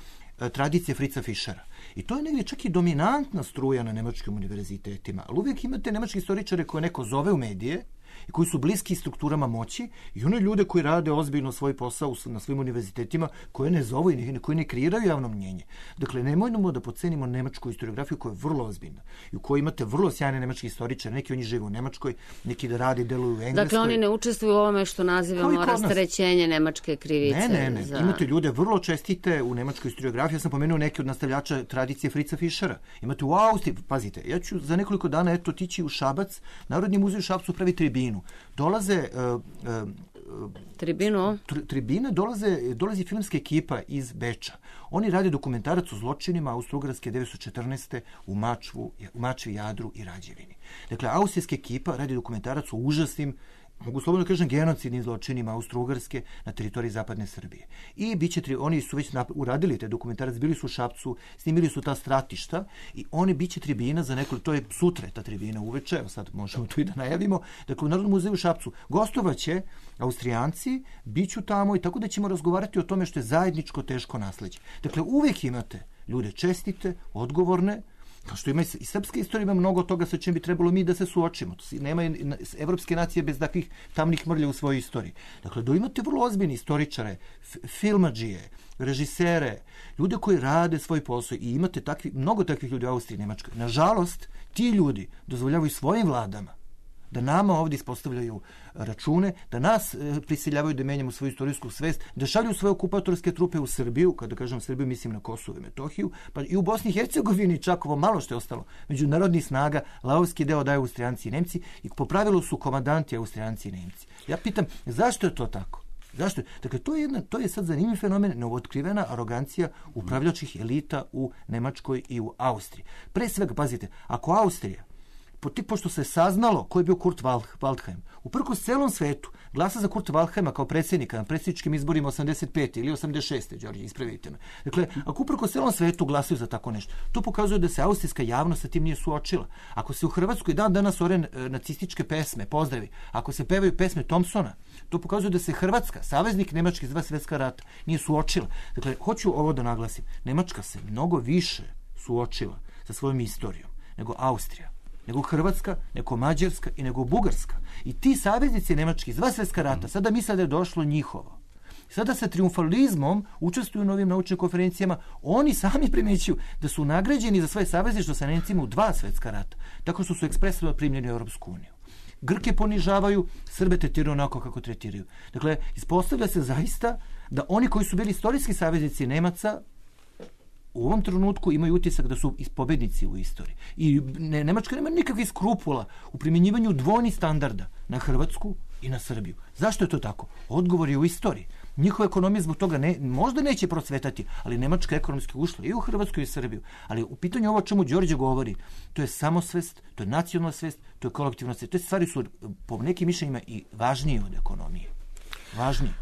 tradicija Fritza Fischera. I to je negdje čak i dominantna struja na nemačkim univerzitetima. Ali uvijek imate nemački istoričare koje neko zove u medije i koji su bliski strukturama moći i one ljude koji rade ozbiljno svoj posao na svojim univerzitetima koje ne zovu i koji ne kreiraju javno mnjenje. Dakle, nemojmo da podcenimo nemačku historiografiju koja je vrlo ozbiljna i u kojoj imate vrlo sjajne nemački istoričare. Neki oni žive u Nemačkoj, neki da rade i deluju u Engleskoj. Dakle, oni ne učestvuju u ovome što nazivamo rasterećenje nemačke krivice. Ne. Imate ljude vrlo čestite u nemačkoj historiografiji. Ja sam pomenuo neke od nastavljača tradicije Fritza Fischera. Imate u Austriji, pazite, ja ću za nekoliko dana otići u Šabac. Narodni muzej u Šapcu pravi tribinu. Dolaze tribine, dolazi filmska ekipa iz Beča. Oni rade dokumentarac o zločinima Austro-Ugarske 1914. u Mačvi, Jadru i Rađevini. Dakle, austrijska ekipa radi dokumentarac o užasnim, mogu slobodno kažem, genocidnim zločinima Austro-Ugarske na teritoriji zapadne Srbije. I oni su već uradili te dokumentarac, bili su u Šapcu, snimili su ta stratišta i biće tribina za nekoliko, to je sutra ta tribina uveče, evo sad možemo to i da najavimo, dakle u Narodnom muzeju u Šapcu gostovaće Austrijanci, biću tamo i tako da ćemo razgovarati o tome što je zajedničko teško nasleđe. Dakle, uvijek imate ljude čestite, odgovorne, kao što ima i srpska istorija, ima mnogo toga sa čim bi trebalo mi da se suočimo. Nema evropske nacije bez takvih tamnih mrlja u svojoj istoriji. Dakle, da imate vrlo ozbiljni istoričare, filmadžije, režisere, ljude koji rade svoj posao i imate mnogo takvih ljudi u Austriji i Nemačkoj. Nažalost, ti ljudi dozvoljavaju svojim vladama da nama ovdje ispostavljaju račune, da nas prisiljavaju da menjamo svoju istorijsku svest, da šalju svoje okupatorske trupe u Srbiju, kada kažem Srbiju mislim na Kosovo i Metohiju, pa i u Bosni i Hercegovini čak ovo malo što je ostalo međunarodnih snaga, lavovski deo daju Austrijanci i Nemci i po pravilu su komandanti Austrijanci i Nemci. Ja pitam, zašto je to tako? Zašto? Dakle, to je sad zanimljiv fenomen, novootkrivena arogancija upravljačkih elita u Nemačkoj i u Austriji. Pre svega, pazite, ako Austrija pošto se saznalo ko je bio Kurt Waldheim, uprkos celom svetu glasa za Kurta Waldheima kao predsjednika na predsjedničkim izborima 85. ili 86. Đorđe, ispravite me. Dakle, ako uprkos celom svetu glasaju za tako nešto, to pokazuje da se austrijska javnost sa tim nije suočila. Ako se u Hrvatskoj danas ore nacističke pesme, pozdravi, ako se pevaju pesme Thompsona, to pokazuje da se Hrvatska, saveznik Nemačke za 2 svjetska rata, nije suočila. Dakle, hoću ovo da naglasim. Nemačka se mnogo više suočila sa svojom istorijom nego Austrija, nego Hrvatska, nego Mađarska i nego Bugarska. I ti saveznici nemački iz 2 svjetska rata sada misle da je došlo njihovo. Sada sa triumfalizmom učestvuju u novim naučnim konferencijama. Oni sami primećuju da su nagrađeni za svoje savezništvo sa Nemcima u 2 svjetska rata, tako što su ekspresno primljeni u Europsku uniju. Grke ponižavaju, Srbe tretiraju onako kako tretiraju. Dakle, ispostavlja se zaista da oni koji su bili istorijski saveznici Nemaca u ovom trenutku imaju utisak da su pobednici u istoriji. I Nemačka nema nikakvih skrupula u primjenjivanju dvojnih standarda na Hrvatsku i na Srbiju. Zašto je to tako? Odgovor je u istoriji. Njihova ekonomija zbog toga možda neće procvetati, ali Nemačka ekonomski ušla i u Hrvatsku i u Srbiju. Ali u pitanju ovo o čemu Đorđe govori, to je samosvest, to je nacionalna svest, to je kolektivna svest. Te stvari su po nekim mišljenjima i važnije od ekonomije. Važnije.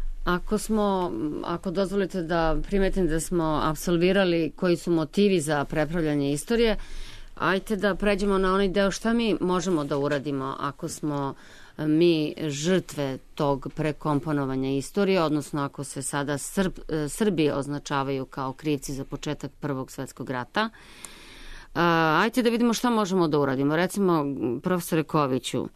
Ako dozvolite da primetim da smo apsolvirali koji su motivi za prepravljanje istorije, ajte da pređemo na onaj deo šta mi možemo da uradimo ako smo mi žrtve tog prekomponovanja istorije, odnosno ako se sada Srbi označavaju kao krivci za početak Prvog svjetskog rata. Ajte da vidimo šta možemo da uradimo. Recimo, profesore Koviću,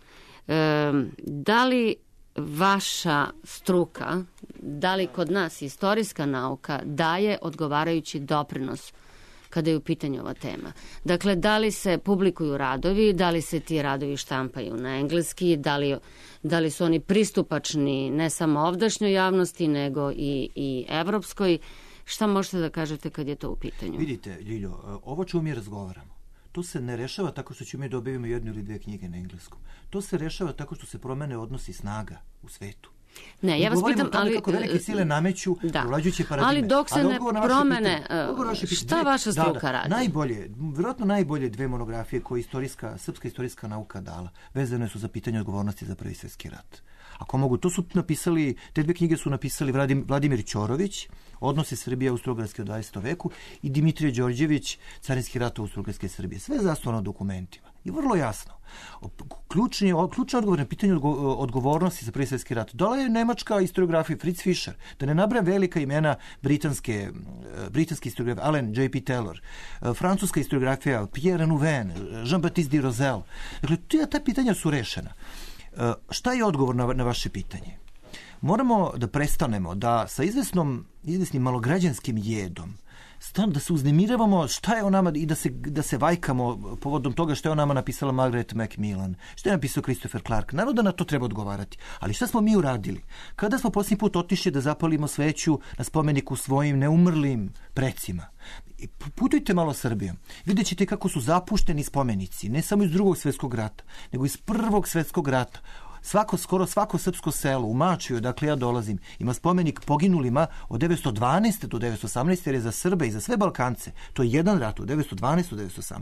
Da li vaša struka, da li kod nas istorijska nauka daje odgovarajući doprinos kada je u pitanju ova tema? Dakle, da li se publikuju radovi, da li se ti radovi štampaju na engleski, da li su oni pristupačni ne samo ovdašnjoj javnosti, nego i evropskoj? Šta možete da kažete kad je to u pitanju? Vidite, Ljiljo, ovo čemu mi razgovaramo, to se ne rešava tako što ćemo mi dobijemo 1 ili 2 knjige na engleskom. To se rešava tako što se promene odnosi snaga u svetu. Ne, ja vas pitam, ali kako velike sile nameću ulađujuće paradigme. Ali dok se ne promene, šta vaša struka radi? Vjerojatno najbolje 2 monografije koje srpska istorijska nauka dala, vezane su za pitanje odgovornosti za Prvi svjetski rat. Ako mogu, te 2 knjige su napisali Vladimir Ćorović, Odnosi Srbije Austro-Ugarske u 20. veku, i Dimitrije Đorđević, Carinski rat Austro-Ugarske Srbije. Sve zasnovano na dokumentima. I vrlo jasno. Ključni odgovor na pitanje odgovornosti za Prvi svjetski rat dala je nemačka historiografija Fritz Fischer. Da ne nabrajam velika imena britanski historiografija Allen J.P. Taylor, francuska historiografija Pierre Nouwen, Jean-Baptiste de Rozel. Dakle, ta pitanja su rešena. Šta je odgovor na vaše pitanje? Moramo da prestanemo da sa izvesnim malograđanskim jedom da se uznemiravamo šta je o nama i da se vajkamo povodom toga što je o nama napisala Margaret Macmillan, što je napisao Christopher Clark. Naravno da na to treba odgovarati. Ali šta smo mi uradili? Kada smo posljednji put otišli da zapalimo sveću na spomeniku svojim neumrlim precima? Putujte malo Srbijom. Vidjet ćete kako su zapušteni spomenici, ne samo iz Drugog svjetskog rata, nego iz Prvog svjetskog rata. Skoro svako srpsko selo u Mačiju, dakle ja dolazim, ima spomenik poginulima od 912. do 918. jer je za Srbe i za sve Balkance do jedan rat od 912. do 918.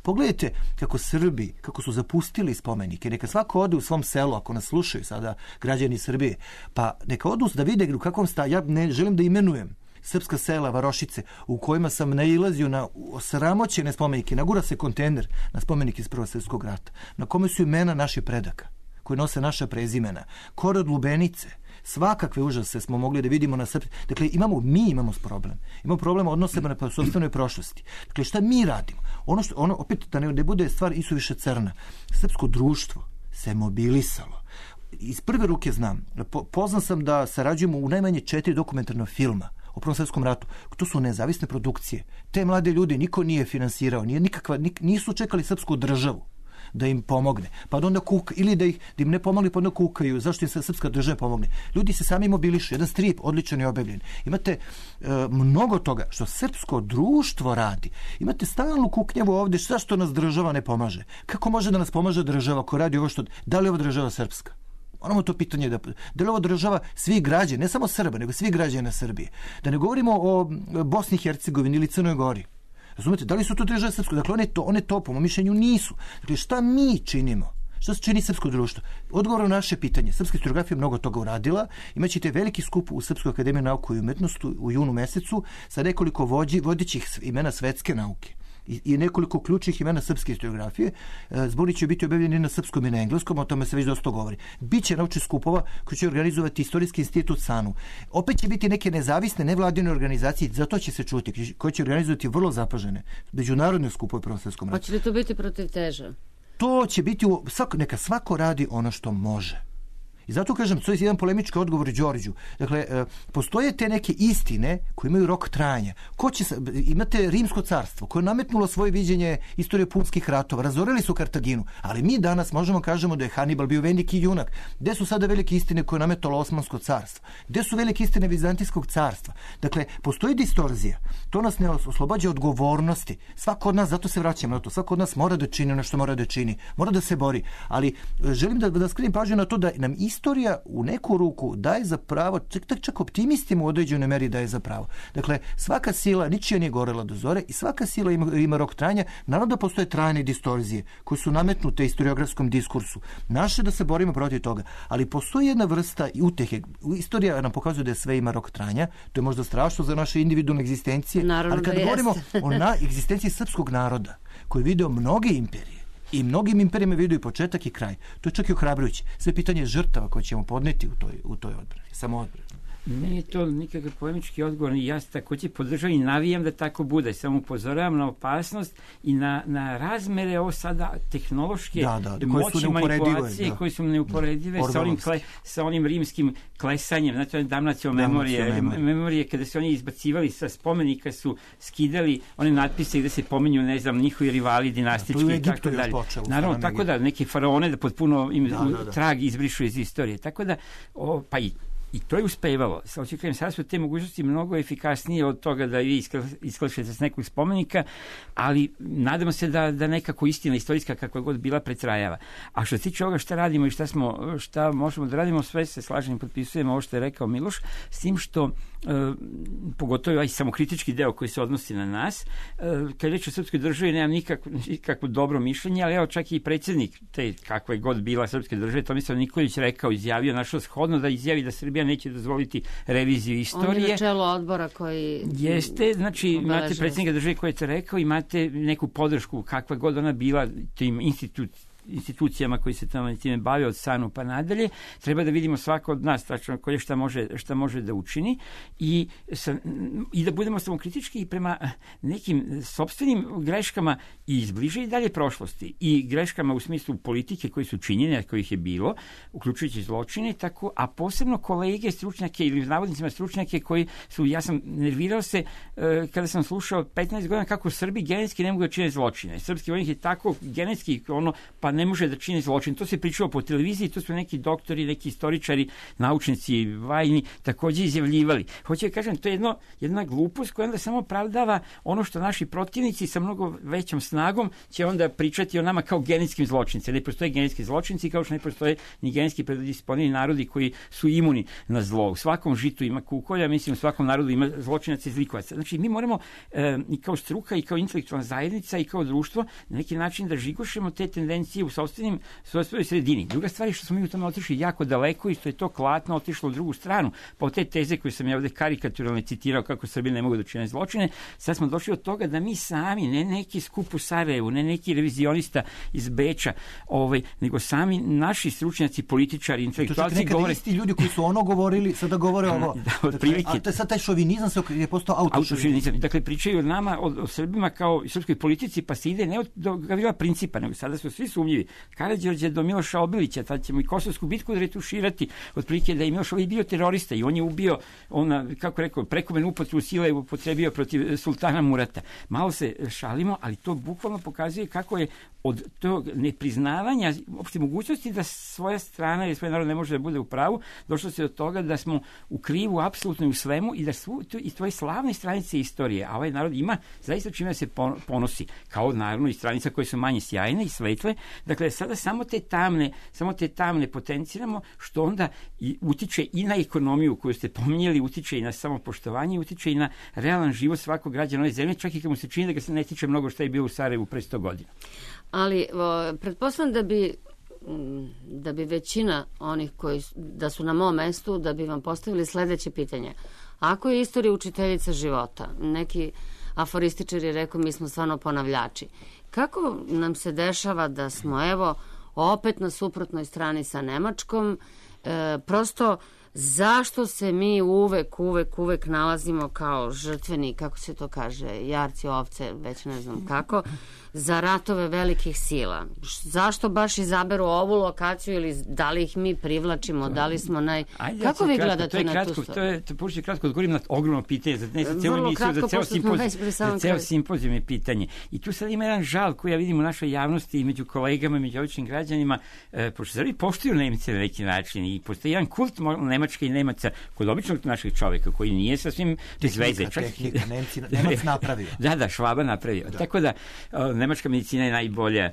Pogledajte kako Srbi, kako su zapustili spomenike. Neka svako ode u svom selu, ako nas slušaju sada građani Srbije, pa neka odu da vide u kakvom ja ne želim da imenujem srpska sela, varošice, u kojima sam nailazio na osramoćene spomenike. Nagura se kontejner na spomenik iz Prvog svjetskog rata, na kome su imena naših predaka, koji nose naša prezimena. Korod Lubenice, svakakve užase smo mogli da vidimo na srpskom. Dakle, imamo problem. Imamo problem odnosima na sopstvenoj prošlosti. Dakle, šta mi radimo? Opet, da ne bude stvar isuviše crna. Srpsko društvo se mobilisalo. Iz prve ruke znam, poznan sam da sarađujemo u najmanje 4 dokumentarna filma o Prvom svjetskom ratu. To su nezavisne produkcije. Te mlade ljude niko nije finansirao, nisu čekali srpsku državu da im pomogne. Pa onda ili da im ne pomogli, pa onda kukaju. Zašto im se srpska država pomogne? Ljudi se sami mobilišu. Jedan strip odličan je objavljen. Imate mnogo toga što srpsko društvo radi. Imate stalnu kuknjavu ovdje. Zašto nas država ne pomaže? Kako može da nas pomaže država ko radi ovo što... Da li je ova država srpska? Moramo to pitanje da li ova država svih građana, ne samo Srba, nego svih građana Srbije. Da ne govorimo o Bosni i Hercegovini ili Crnoj Gori. Razumete, da li su to države srpsko? Dakle, one to, po mom mišljenju, nisu. Dakle, šta mi činimo? Šta se čini srpsko društvo? Odgovor na naše pitanje. Srpska historiografija mnogo toga uradila. Imaćete veliki skup u Srpskoj akademiji nauke i umetnosti u junu mesecu sa nekoliko vodećih imena svetske nauke i nekoliko ključnih imena srpske historiografije. Zbornik će biti objavljeni na srpskom i na engleskom, o tome se već dosta govori. Biće naučnih skupova koji će organizovati Istorijski institut SANU. Opet će biti neke nezavisne nevladine organizacije, zato će se čuti, koje će organizovati vrlo zapažene međunarodne skupove u Prvom svjetskom ratu. Hoće li to biti protiv teža? To će biti, neka svako radi ono što može. I zato kažem, to je jedan polemički odgovor Đorđu. Dakle, postoje te neke istine koje imaju rok trajanja. Imate Rimsko carstvo koje je nametnulo svoje viđenje istorije punskih ratova. Razorili su Kartaginu, ali mi danas možemo kažemo da je Hanibal bio veliki junak. Gde su sada velike istine koje je nametalo Osmansko carstvo? Gde su velike istine Vizantijskog carstva? Dakle, postoji distorzija. To nas ne oslobađa odgovornosti. Svako od nas, zato se vraćamo na to, svako od nas mora da čini ono što mora da čini. Mora da se bori. Ali želim da skrenem pažnju na to da nam istorija u neku ruku daje za pravo, čak optimistima u određenoj meri daje za pravo. Dakle, svaka sila, ničija nije gorela do zore i svaka sila ima rok trajanja. Naravno da postoje trajne distorzije koje su nametnute historiografskom diskursu. Naše da se borimo protiv toga. Ali postoji jedna vrsta utehe. Istorija nam pokazuje da sve ima rok trajanja. To je možda strašno za naše individualne egzistencije. Naravno, ali kad govorimo o egzistenciji srpskog naroda koji je video mnoge imperije, i mnogim imperijama vidio i početak i kraj. To je čak i ohrabrujuće. Sve pitanje žrtava koje ćemo podneti u toj odbrani. Samo odbrani. Nije to nikakav polemički odgovor, ja takođe podržavam i navijam da tako bude, samo upozoravam na opasnost i na razmere ovo sada tehnološke moći manipulacije koje su neuporedive sa onim rimskim klesanjem, znači damnacio memorije, kada su oni izbacivali sa spomenika, su skidali one natpise gde se pominju, ne znam, njihovi rivali dinastički i tako dalje. Naravno, tako da neke faraone da potpuno im trag izbrišu iz istorije, tako da pa i to je uspevalo. Sada su te mogućnosti mnogo efikasnije od toga da vi isklašete s nekog spomenika, ali nadamo se da nekako istina istorijska kakva god bila pretrajava. A što se tiče ovoga šta radimo i šta možemo da radimo, sve se slažem i potpisujemo ovo što je rekao Miloš, s tim što pogotovo ovaj samokritički deo koji se odnosi na nas, kad je reč o srpskoj državi nemam nikakvo dobro mišljenje, ali evo čak i predsjednik te kakva je god bila srpske države, Tomislav Nikolić izjavio, našao shodno da izjavi da Srbija neće dozvoliti reviziju istorije. On je na čelu odbora koji... Jeste, znači imate predsjednika države koji je to rekao, imate neku podršku kakva god ona bila tim institucijama koji se time bave od SANU pa nadalje. Treba da vidimo svako od nas tačno koje šta može da učini i da budemo samokritički i prema nekim sopstvenim greškama i iz bliže i dalje prošlosti i greškama u smislu politike koji su činjene, kojih je bilo, uključujući zločine, tako, a posebno kolege stručnjake ili navodnicima stručnjake koji su, ja sam nervirao se kada sam slušao 15 godina kako Srbi genetski ne mogu da čine zločine. Srpski vojnik je tako genetski pa ne može da čini zločin. To se pričalo po televiziji, to su neki doktori, neki istoričari, naučnici, vajni, takođe izjavljivali. Hoće da kažem, to je jedna glupost koja onda samo opravdava ono što naši protivnici sa mnogo većom snagom će onda pričati o nama kao genetskim zločincima. Ne postoje genetski zločinci, kao što ne postoje ni genetski predisponirani narodi koji su imuni na zlo. U svakom žitu ima kukolja, mislim u svakom narodu ima zločinaca i zlikovaca. Znači mi moramo i kao struka i kao intelektualna zajednica i kao društvo na neki način da žigošemo te tendencije u svojoj sredini. Druga stvar je što smo mi u tome otišli jako daleko i što je to klatno otišlo u drugu stranu. Po te teze koje sam ja ovde karikaturalno citirao kako Srbi ne mogu da čine zločine, sad smo došli od toga da mi sami, ne neki skup u Sarajevu, ne neki revizionista iz Beča, nego sami naši stručnjaci, političari, intelektualci govore... Isti ljudi koji su ono govorili, sada govore ovo. A to je sad taj šovinizam je postao autošovinizam. Dakle, pričaju o nama, o Srbima kao srpskoj politici, pa se ide ne od Gavrila Principa, nego sada su svi sumnjivi. Karađorđe do Miloša Obilića, tad ćemo i Kosovsku bitku retuširati, otprilike da je Miloš Obilić bio terorista i on je ubio, kako rekao, prekomjernu upotrebu sile upotrebio protiv sultana Murata. Malo se šalimo, ali to bukvalno pokazuje kako je od tog nepriznavanja uopšte mogućnosti da svoja strana ili svoj narod ne može da bude u pravu, došlo se do toga da smo u krivu apsolutno u svemu i da su i tvoje slavne stranice istorije, a ovaj narod ima zaista čime se ponosi, kao naravno i stranica koje su manje sjajne i svetle. Dakle, sada samo te tamne potenciramo, što onda utiče i na ekonomiju koju ste pominjali, utiče i na samopoštovanje, utiče i na realan život svakog građana ove zemlje, čak i kad mu se čini da ga se ne tiče mnogo što je bilo u Sarajevu pre 100 godina. Ali pretpostavljam da bi većina onih koji da su na mom mestu, da bi vam postavili sledeće pitanje. Ako je istorija učiteljica života, neki aforističari rekao mi smo stvarno ponavljači, kako nam se dešava da smo evo opet na suprotnoj strani sa Nemačkom, prosto zašto se mi uvek nalazimo kao žrtveni, kako se to kaže, jarci ovce, već ne znam kako, za ratove velikih sila? Zašto baš izaberu ovu lokaciju ili da li ih mi privlačimo, da li smo Kako vi gledate na tu stvar? To je kratko odgovorim na ogromno pitanje, za ceo simpozijum je pitanje. I tu sad ima jedan žal koji ja vidim u našoj javnosti i među kolegama i među običnim građanima, pošto Srbi poštuju Nemce na neki način i postoji jedan kult Nemačka i Nemaca kod običnog našeg čoveka koji nije sasvim bez veze. Nemac napravio. Da, Švaba napravio. Tako da nemačka medicina je najbolja.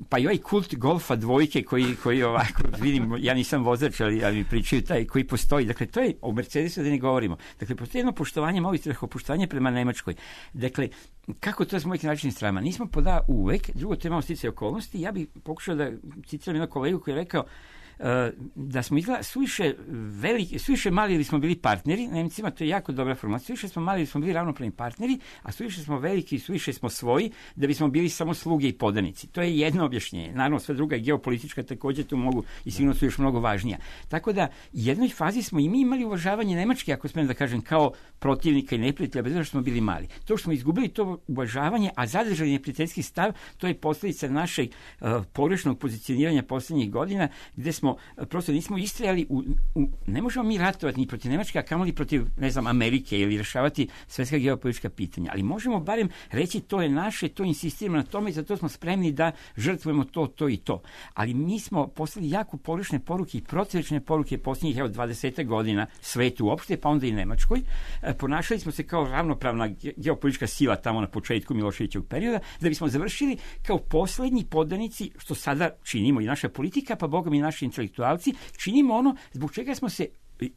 Pa i ovaj kult golfa dvojke koji ovako, vidim, ja nisam vozač, ali mi pričaju taj koji postoji. Dakle, to je o Mercedesu da ne govorimo. Dakle, postoji jedno poštovanje, malo poštovanje prema Nemačkoj. Dakle, kako to s mojih način strama? Nismo uvek, drugo to je malo sticaj okolnosti. Ja bih pokušao da citiram jednog kolegu koji je rekao da smo izgleda suviše mali ili smo bili partneri, Nemcima to je jako dobra formacija, suviše smo mali ili smo bili ravnopravni partneri, a suviše smo veliki i suviše smo svoji da bismo bili samo sluge i podanici. To je jedno objašnjenje. Naravno, sve druga geopolitička također tu mogu i sigurno su još mnogo važnija. Tako da, u jednoj fazi smo i mi imali uvažavanje Nemačke, ako smijem da kažem, kao protivnika i neprijatelja, bez obzira što smo bili mali. To što smo izgubili to uvažavanje, a zadržali neprijateljski stav, to je posljedica našeg pogrešnog pozicioniranja posljednjih godina, gdje smo prosto nismo istrajali ne možemo mi ratovati ni protiv Nemačke, a kamoli protiv, ne znam, Amerike ili rješavati svjetska geopolitička pitanja. Ali možemo barem reći to je naše, to insistiramo na tome i zato smo spremni da žrtvujemo to i to. Ali mi smo poslali jako pogrešne poruke i protivečne poruke posljednjih 20 godina svetu uopšte, pa onda i Nemačkoj. Ponašali smo se kao ravnopravna geopolitička sila tamo na početku Miloševićevog perioda, da bismo završili kao posljednji podanici, što sada činimo i naša politika, pa bogom i naši intelektualci, činimo ono zbog čega smo se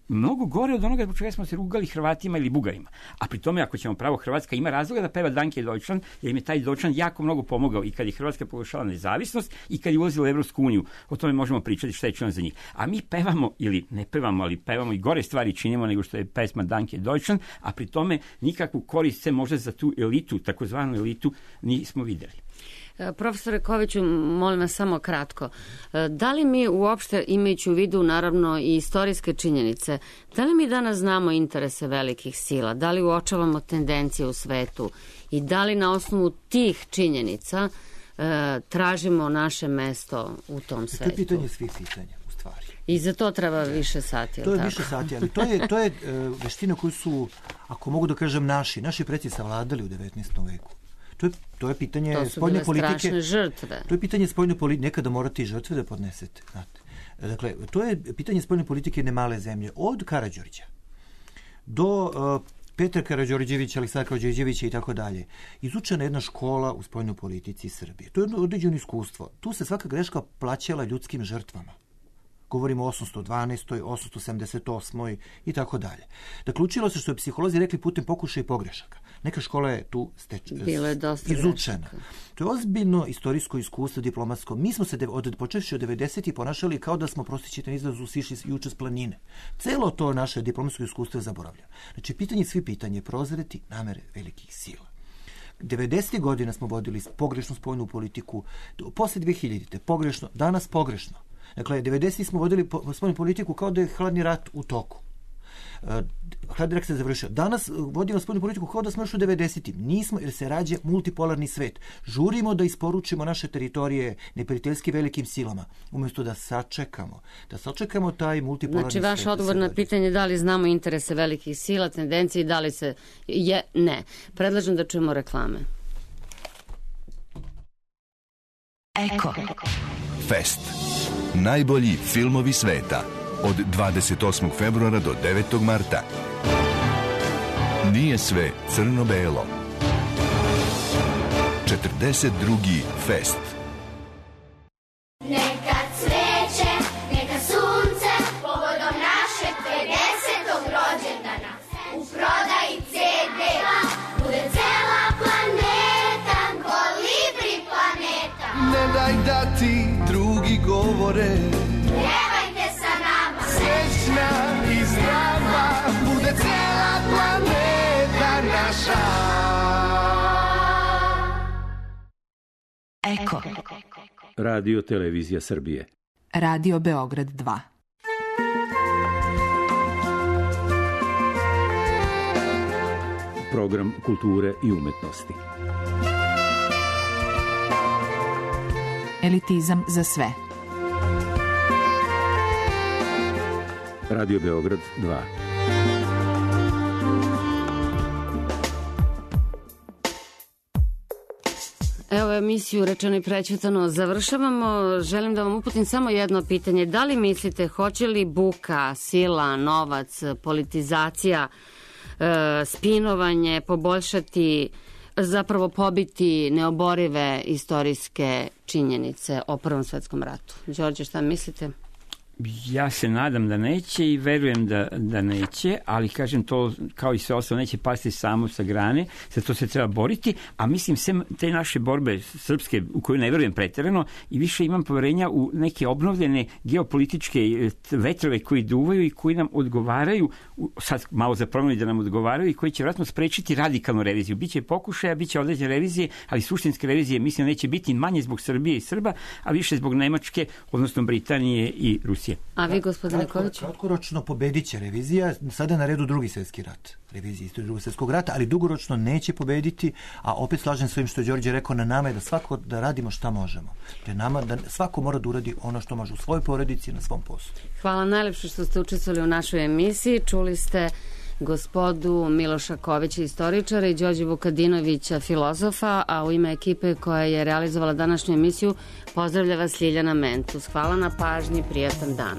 mnogo gore od onoga zbog čega smo se rugali Hrvatima ili Bugarima. A pri tome, ako ćemo pravo, Hrvatska ima razloga da peva Danke Deutschland, jer im je taj Deutschland jako mnogo pomogao i kad je Hrvatska proglašala nezavisnost i kad je ulazila u Evropsku uniju. O tome možemo pričati šta je činjeno za njih. A mi pevamo, ili ne pevamo, ali pevamo i gore stvari činimo nego što je pesma Danke Deutschland, a pri tome nikakvu korist se možda za tu elitu, takozvanu elitu, nismo vidjeli. Profesore Koviću, molim vas samo kratko. Da li mi uopšte, imajući u vidu naravno i istorijske činjenice, da li mi danas znamo interese velikih sila? Da li uočavamo tendencije u svetu? I da li na osnovu tih činjenica tražimo naše mesto u tom svetu? To je pitanje svih pitanja, u stvari. I za to treba više sati, to je tako? Više sati, ali to je veština koju su, ako mogu da kažem, naši preci savladali u 19. veku. To je pitanje spoljne politike. To su bile strašne žrtve. To je pitanje spoljne politike. Nekada morate i žrtve da podnesete. Znate. Dakle, to je pitanje spoljne politike jedne male zemlje. Od Karađorđa do Petra Karađorđevića, Aleksandra Karađorđevića i tako dalje. Izučena jedna škola u spoljnoj politici Srbije. To je jedno određeno iskustvo. Tu se svaka greška plaćala ljudskim žrtvama. Govorimo o 812. 878. i tako dalje. Dakle, učilo se, što je psiholozi rekli, putem pokušaja i pogrešaka. Neka škola je tu izučena. To je ozbiljno istorijsko iskustvo, diplomatsko. Mi smo se počevši od 90. ponašali kao da smo, prostićete na izrazu, sišli juče s planine. Celo to naše diplomatsko iskustvo je zaboravljeno. Znači, svi pitanje prozreti namere velikih sila. 90. godina smo vodili pogrešnu spoljnu politiku, posle 2000. pogrešno, danas pogrešno. Dakle, 90. smo vodili spoljnu politiku kao da je hladni rat u toku. Hladni rat se završio. Danas vodimo spoljnu politiku kao da smo još u 90. Nismo, jer se rađa multipolarni svet. Žurimo da isporučimo naše teritorije neprijateljski velikim silama, umjesto da sačekamo taj multipolarni svet. Znači, vaš odgovor na pitanje da li znamo interese velikih sila, tendencije i da li se je, ne. Predlažem da čujemo reklame. Eko. Fest. Najbolji filmovi sveta. Od 28. februara do 9. marta. Nije sve crno-belo. 42. Fest. Neka cveće, neka sunce, povodom našeg 50. rođendana. U prodaji CD-a bude cela planeta, kolibri planeta. Ne daj da ti drugi govore, pjevajte sa nama. Srećna i zdrava bude cijela planeta naša. Eko. Radio Televizija Srbije. Radio Beograd 2. Program kulture i umetnosti. Elitizam za sve. Radio Beograd 2. Evo emisiju Rečeno i prećutano završavamo. Želim da vam uputim samo jedno pitanje. Da li mislite, hoće li buka, sila, novac, politizacija, spinovanje poboljšati, zapravo pobiti neoborive istorijske činjenice o Prvom svetskom ratu? Đorđe, šta mislite? Ja se nadam da neće i verujem da neće, ali kažem to kao i sve ostalo neće pasti samo sa grane, za to se treba boriti, a mislim sem te naše borbe srpske u koju ne verujem preterano i više imam poverenja u neke obnovljene geopolitičke vetrove koji duvaju i koji nam odgovaraju, sad malo za promjenu da nam odgovaraju i koji će vjerojatno sprečiti radikalnu reviziju. Biće pokušaja, biće određene revizije, ali suštinske revizije mislim da neće biti manje zbog Srbije i Srba, a više zbog Nemačke, odnosno Britanije i Rusije. A vi, gospodine Nikoliću? Kratkoročno pobedit će revizija, sada je na redu drugi svjetski rat, revizija istorije drugog svjetskog rata, ali dugoročno neće pobediti, a opet slažem s ovim što je Đorđe rekao, na nama je da svako da radimo šta možemo. Da svako mora da uradi ono što može u svojoj porodici i na svom poslu. Hvala najlepše što ste učestvovali u našoj emisiji. Čuli ste gospodu Miloša Kovića, istoričara, i Đorđe Vukadinovića, filozofa, a u ime ekipe koja je realizovala današnju emisiju pozdravlja vas Ljiljana Mentus. Hvala na pažnji, prijatan dan.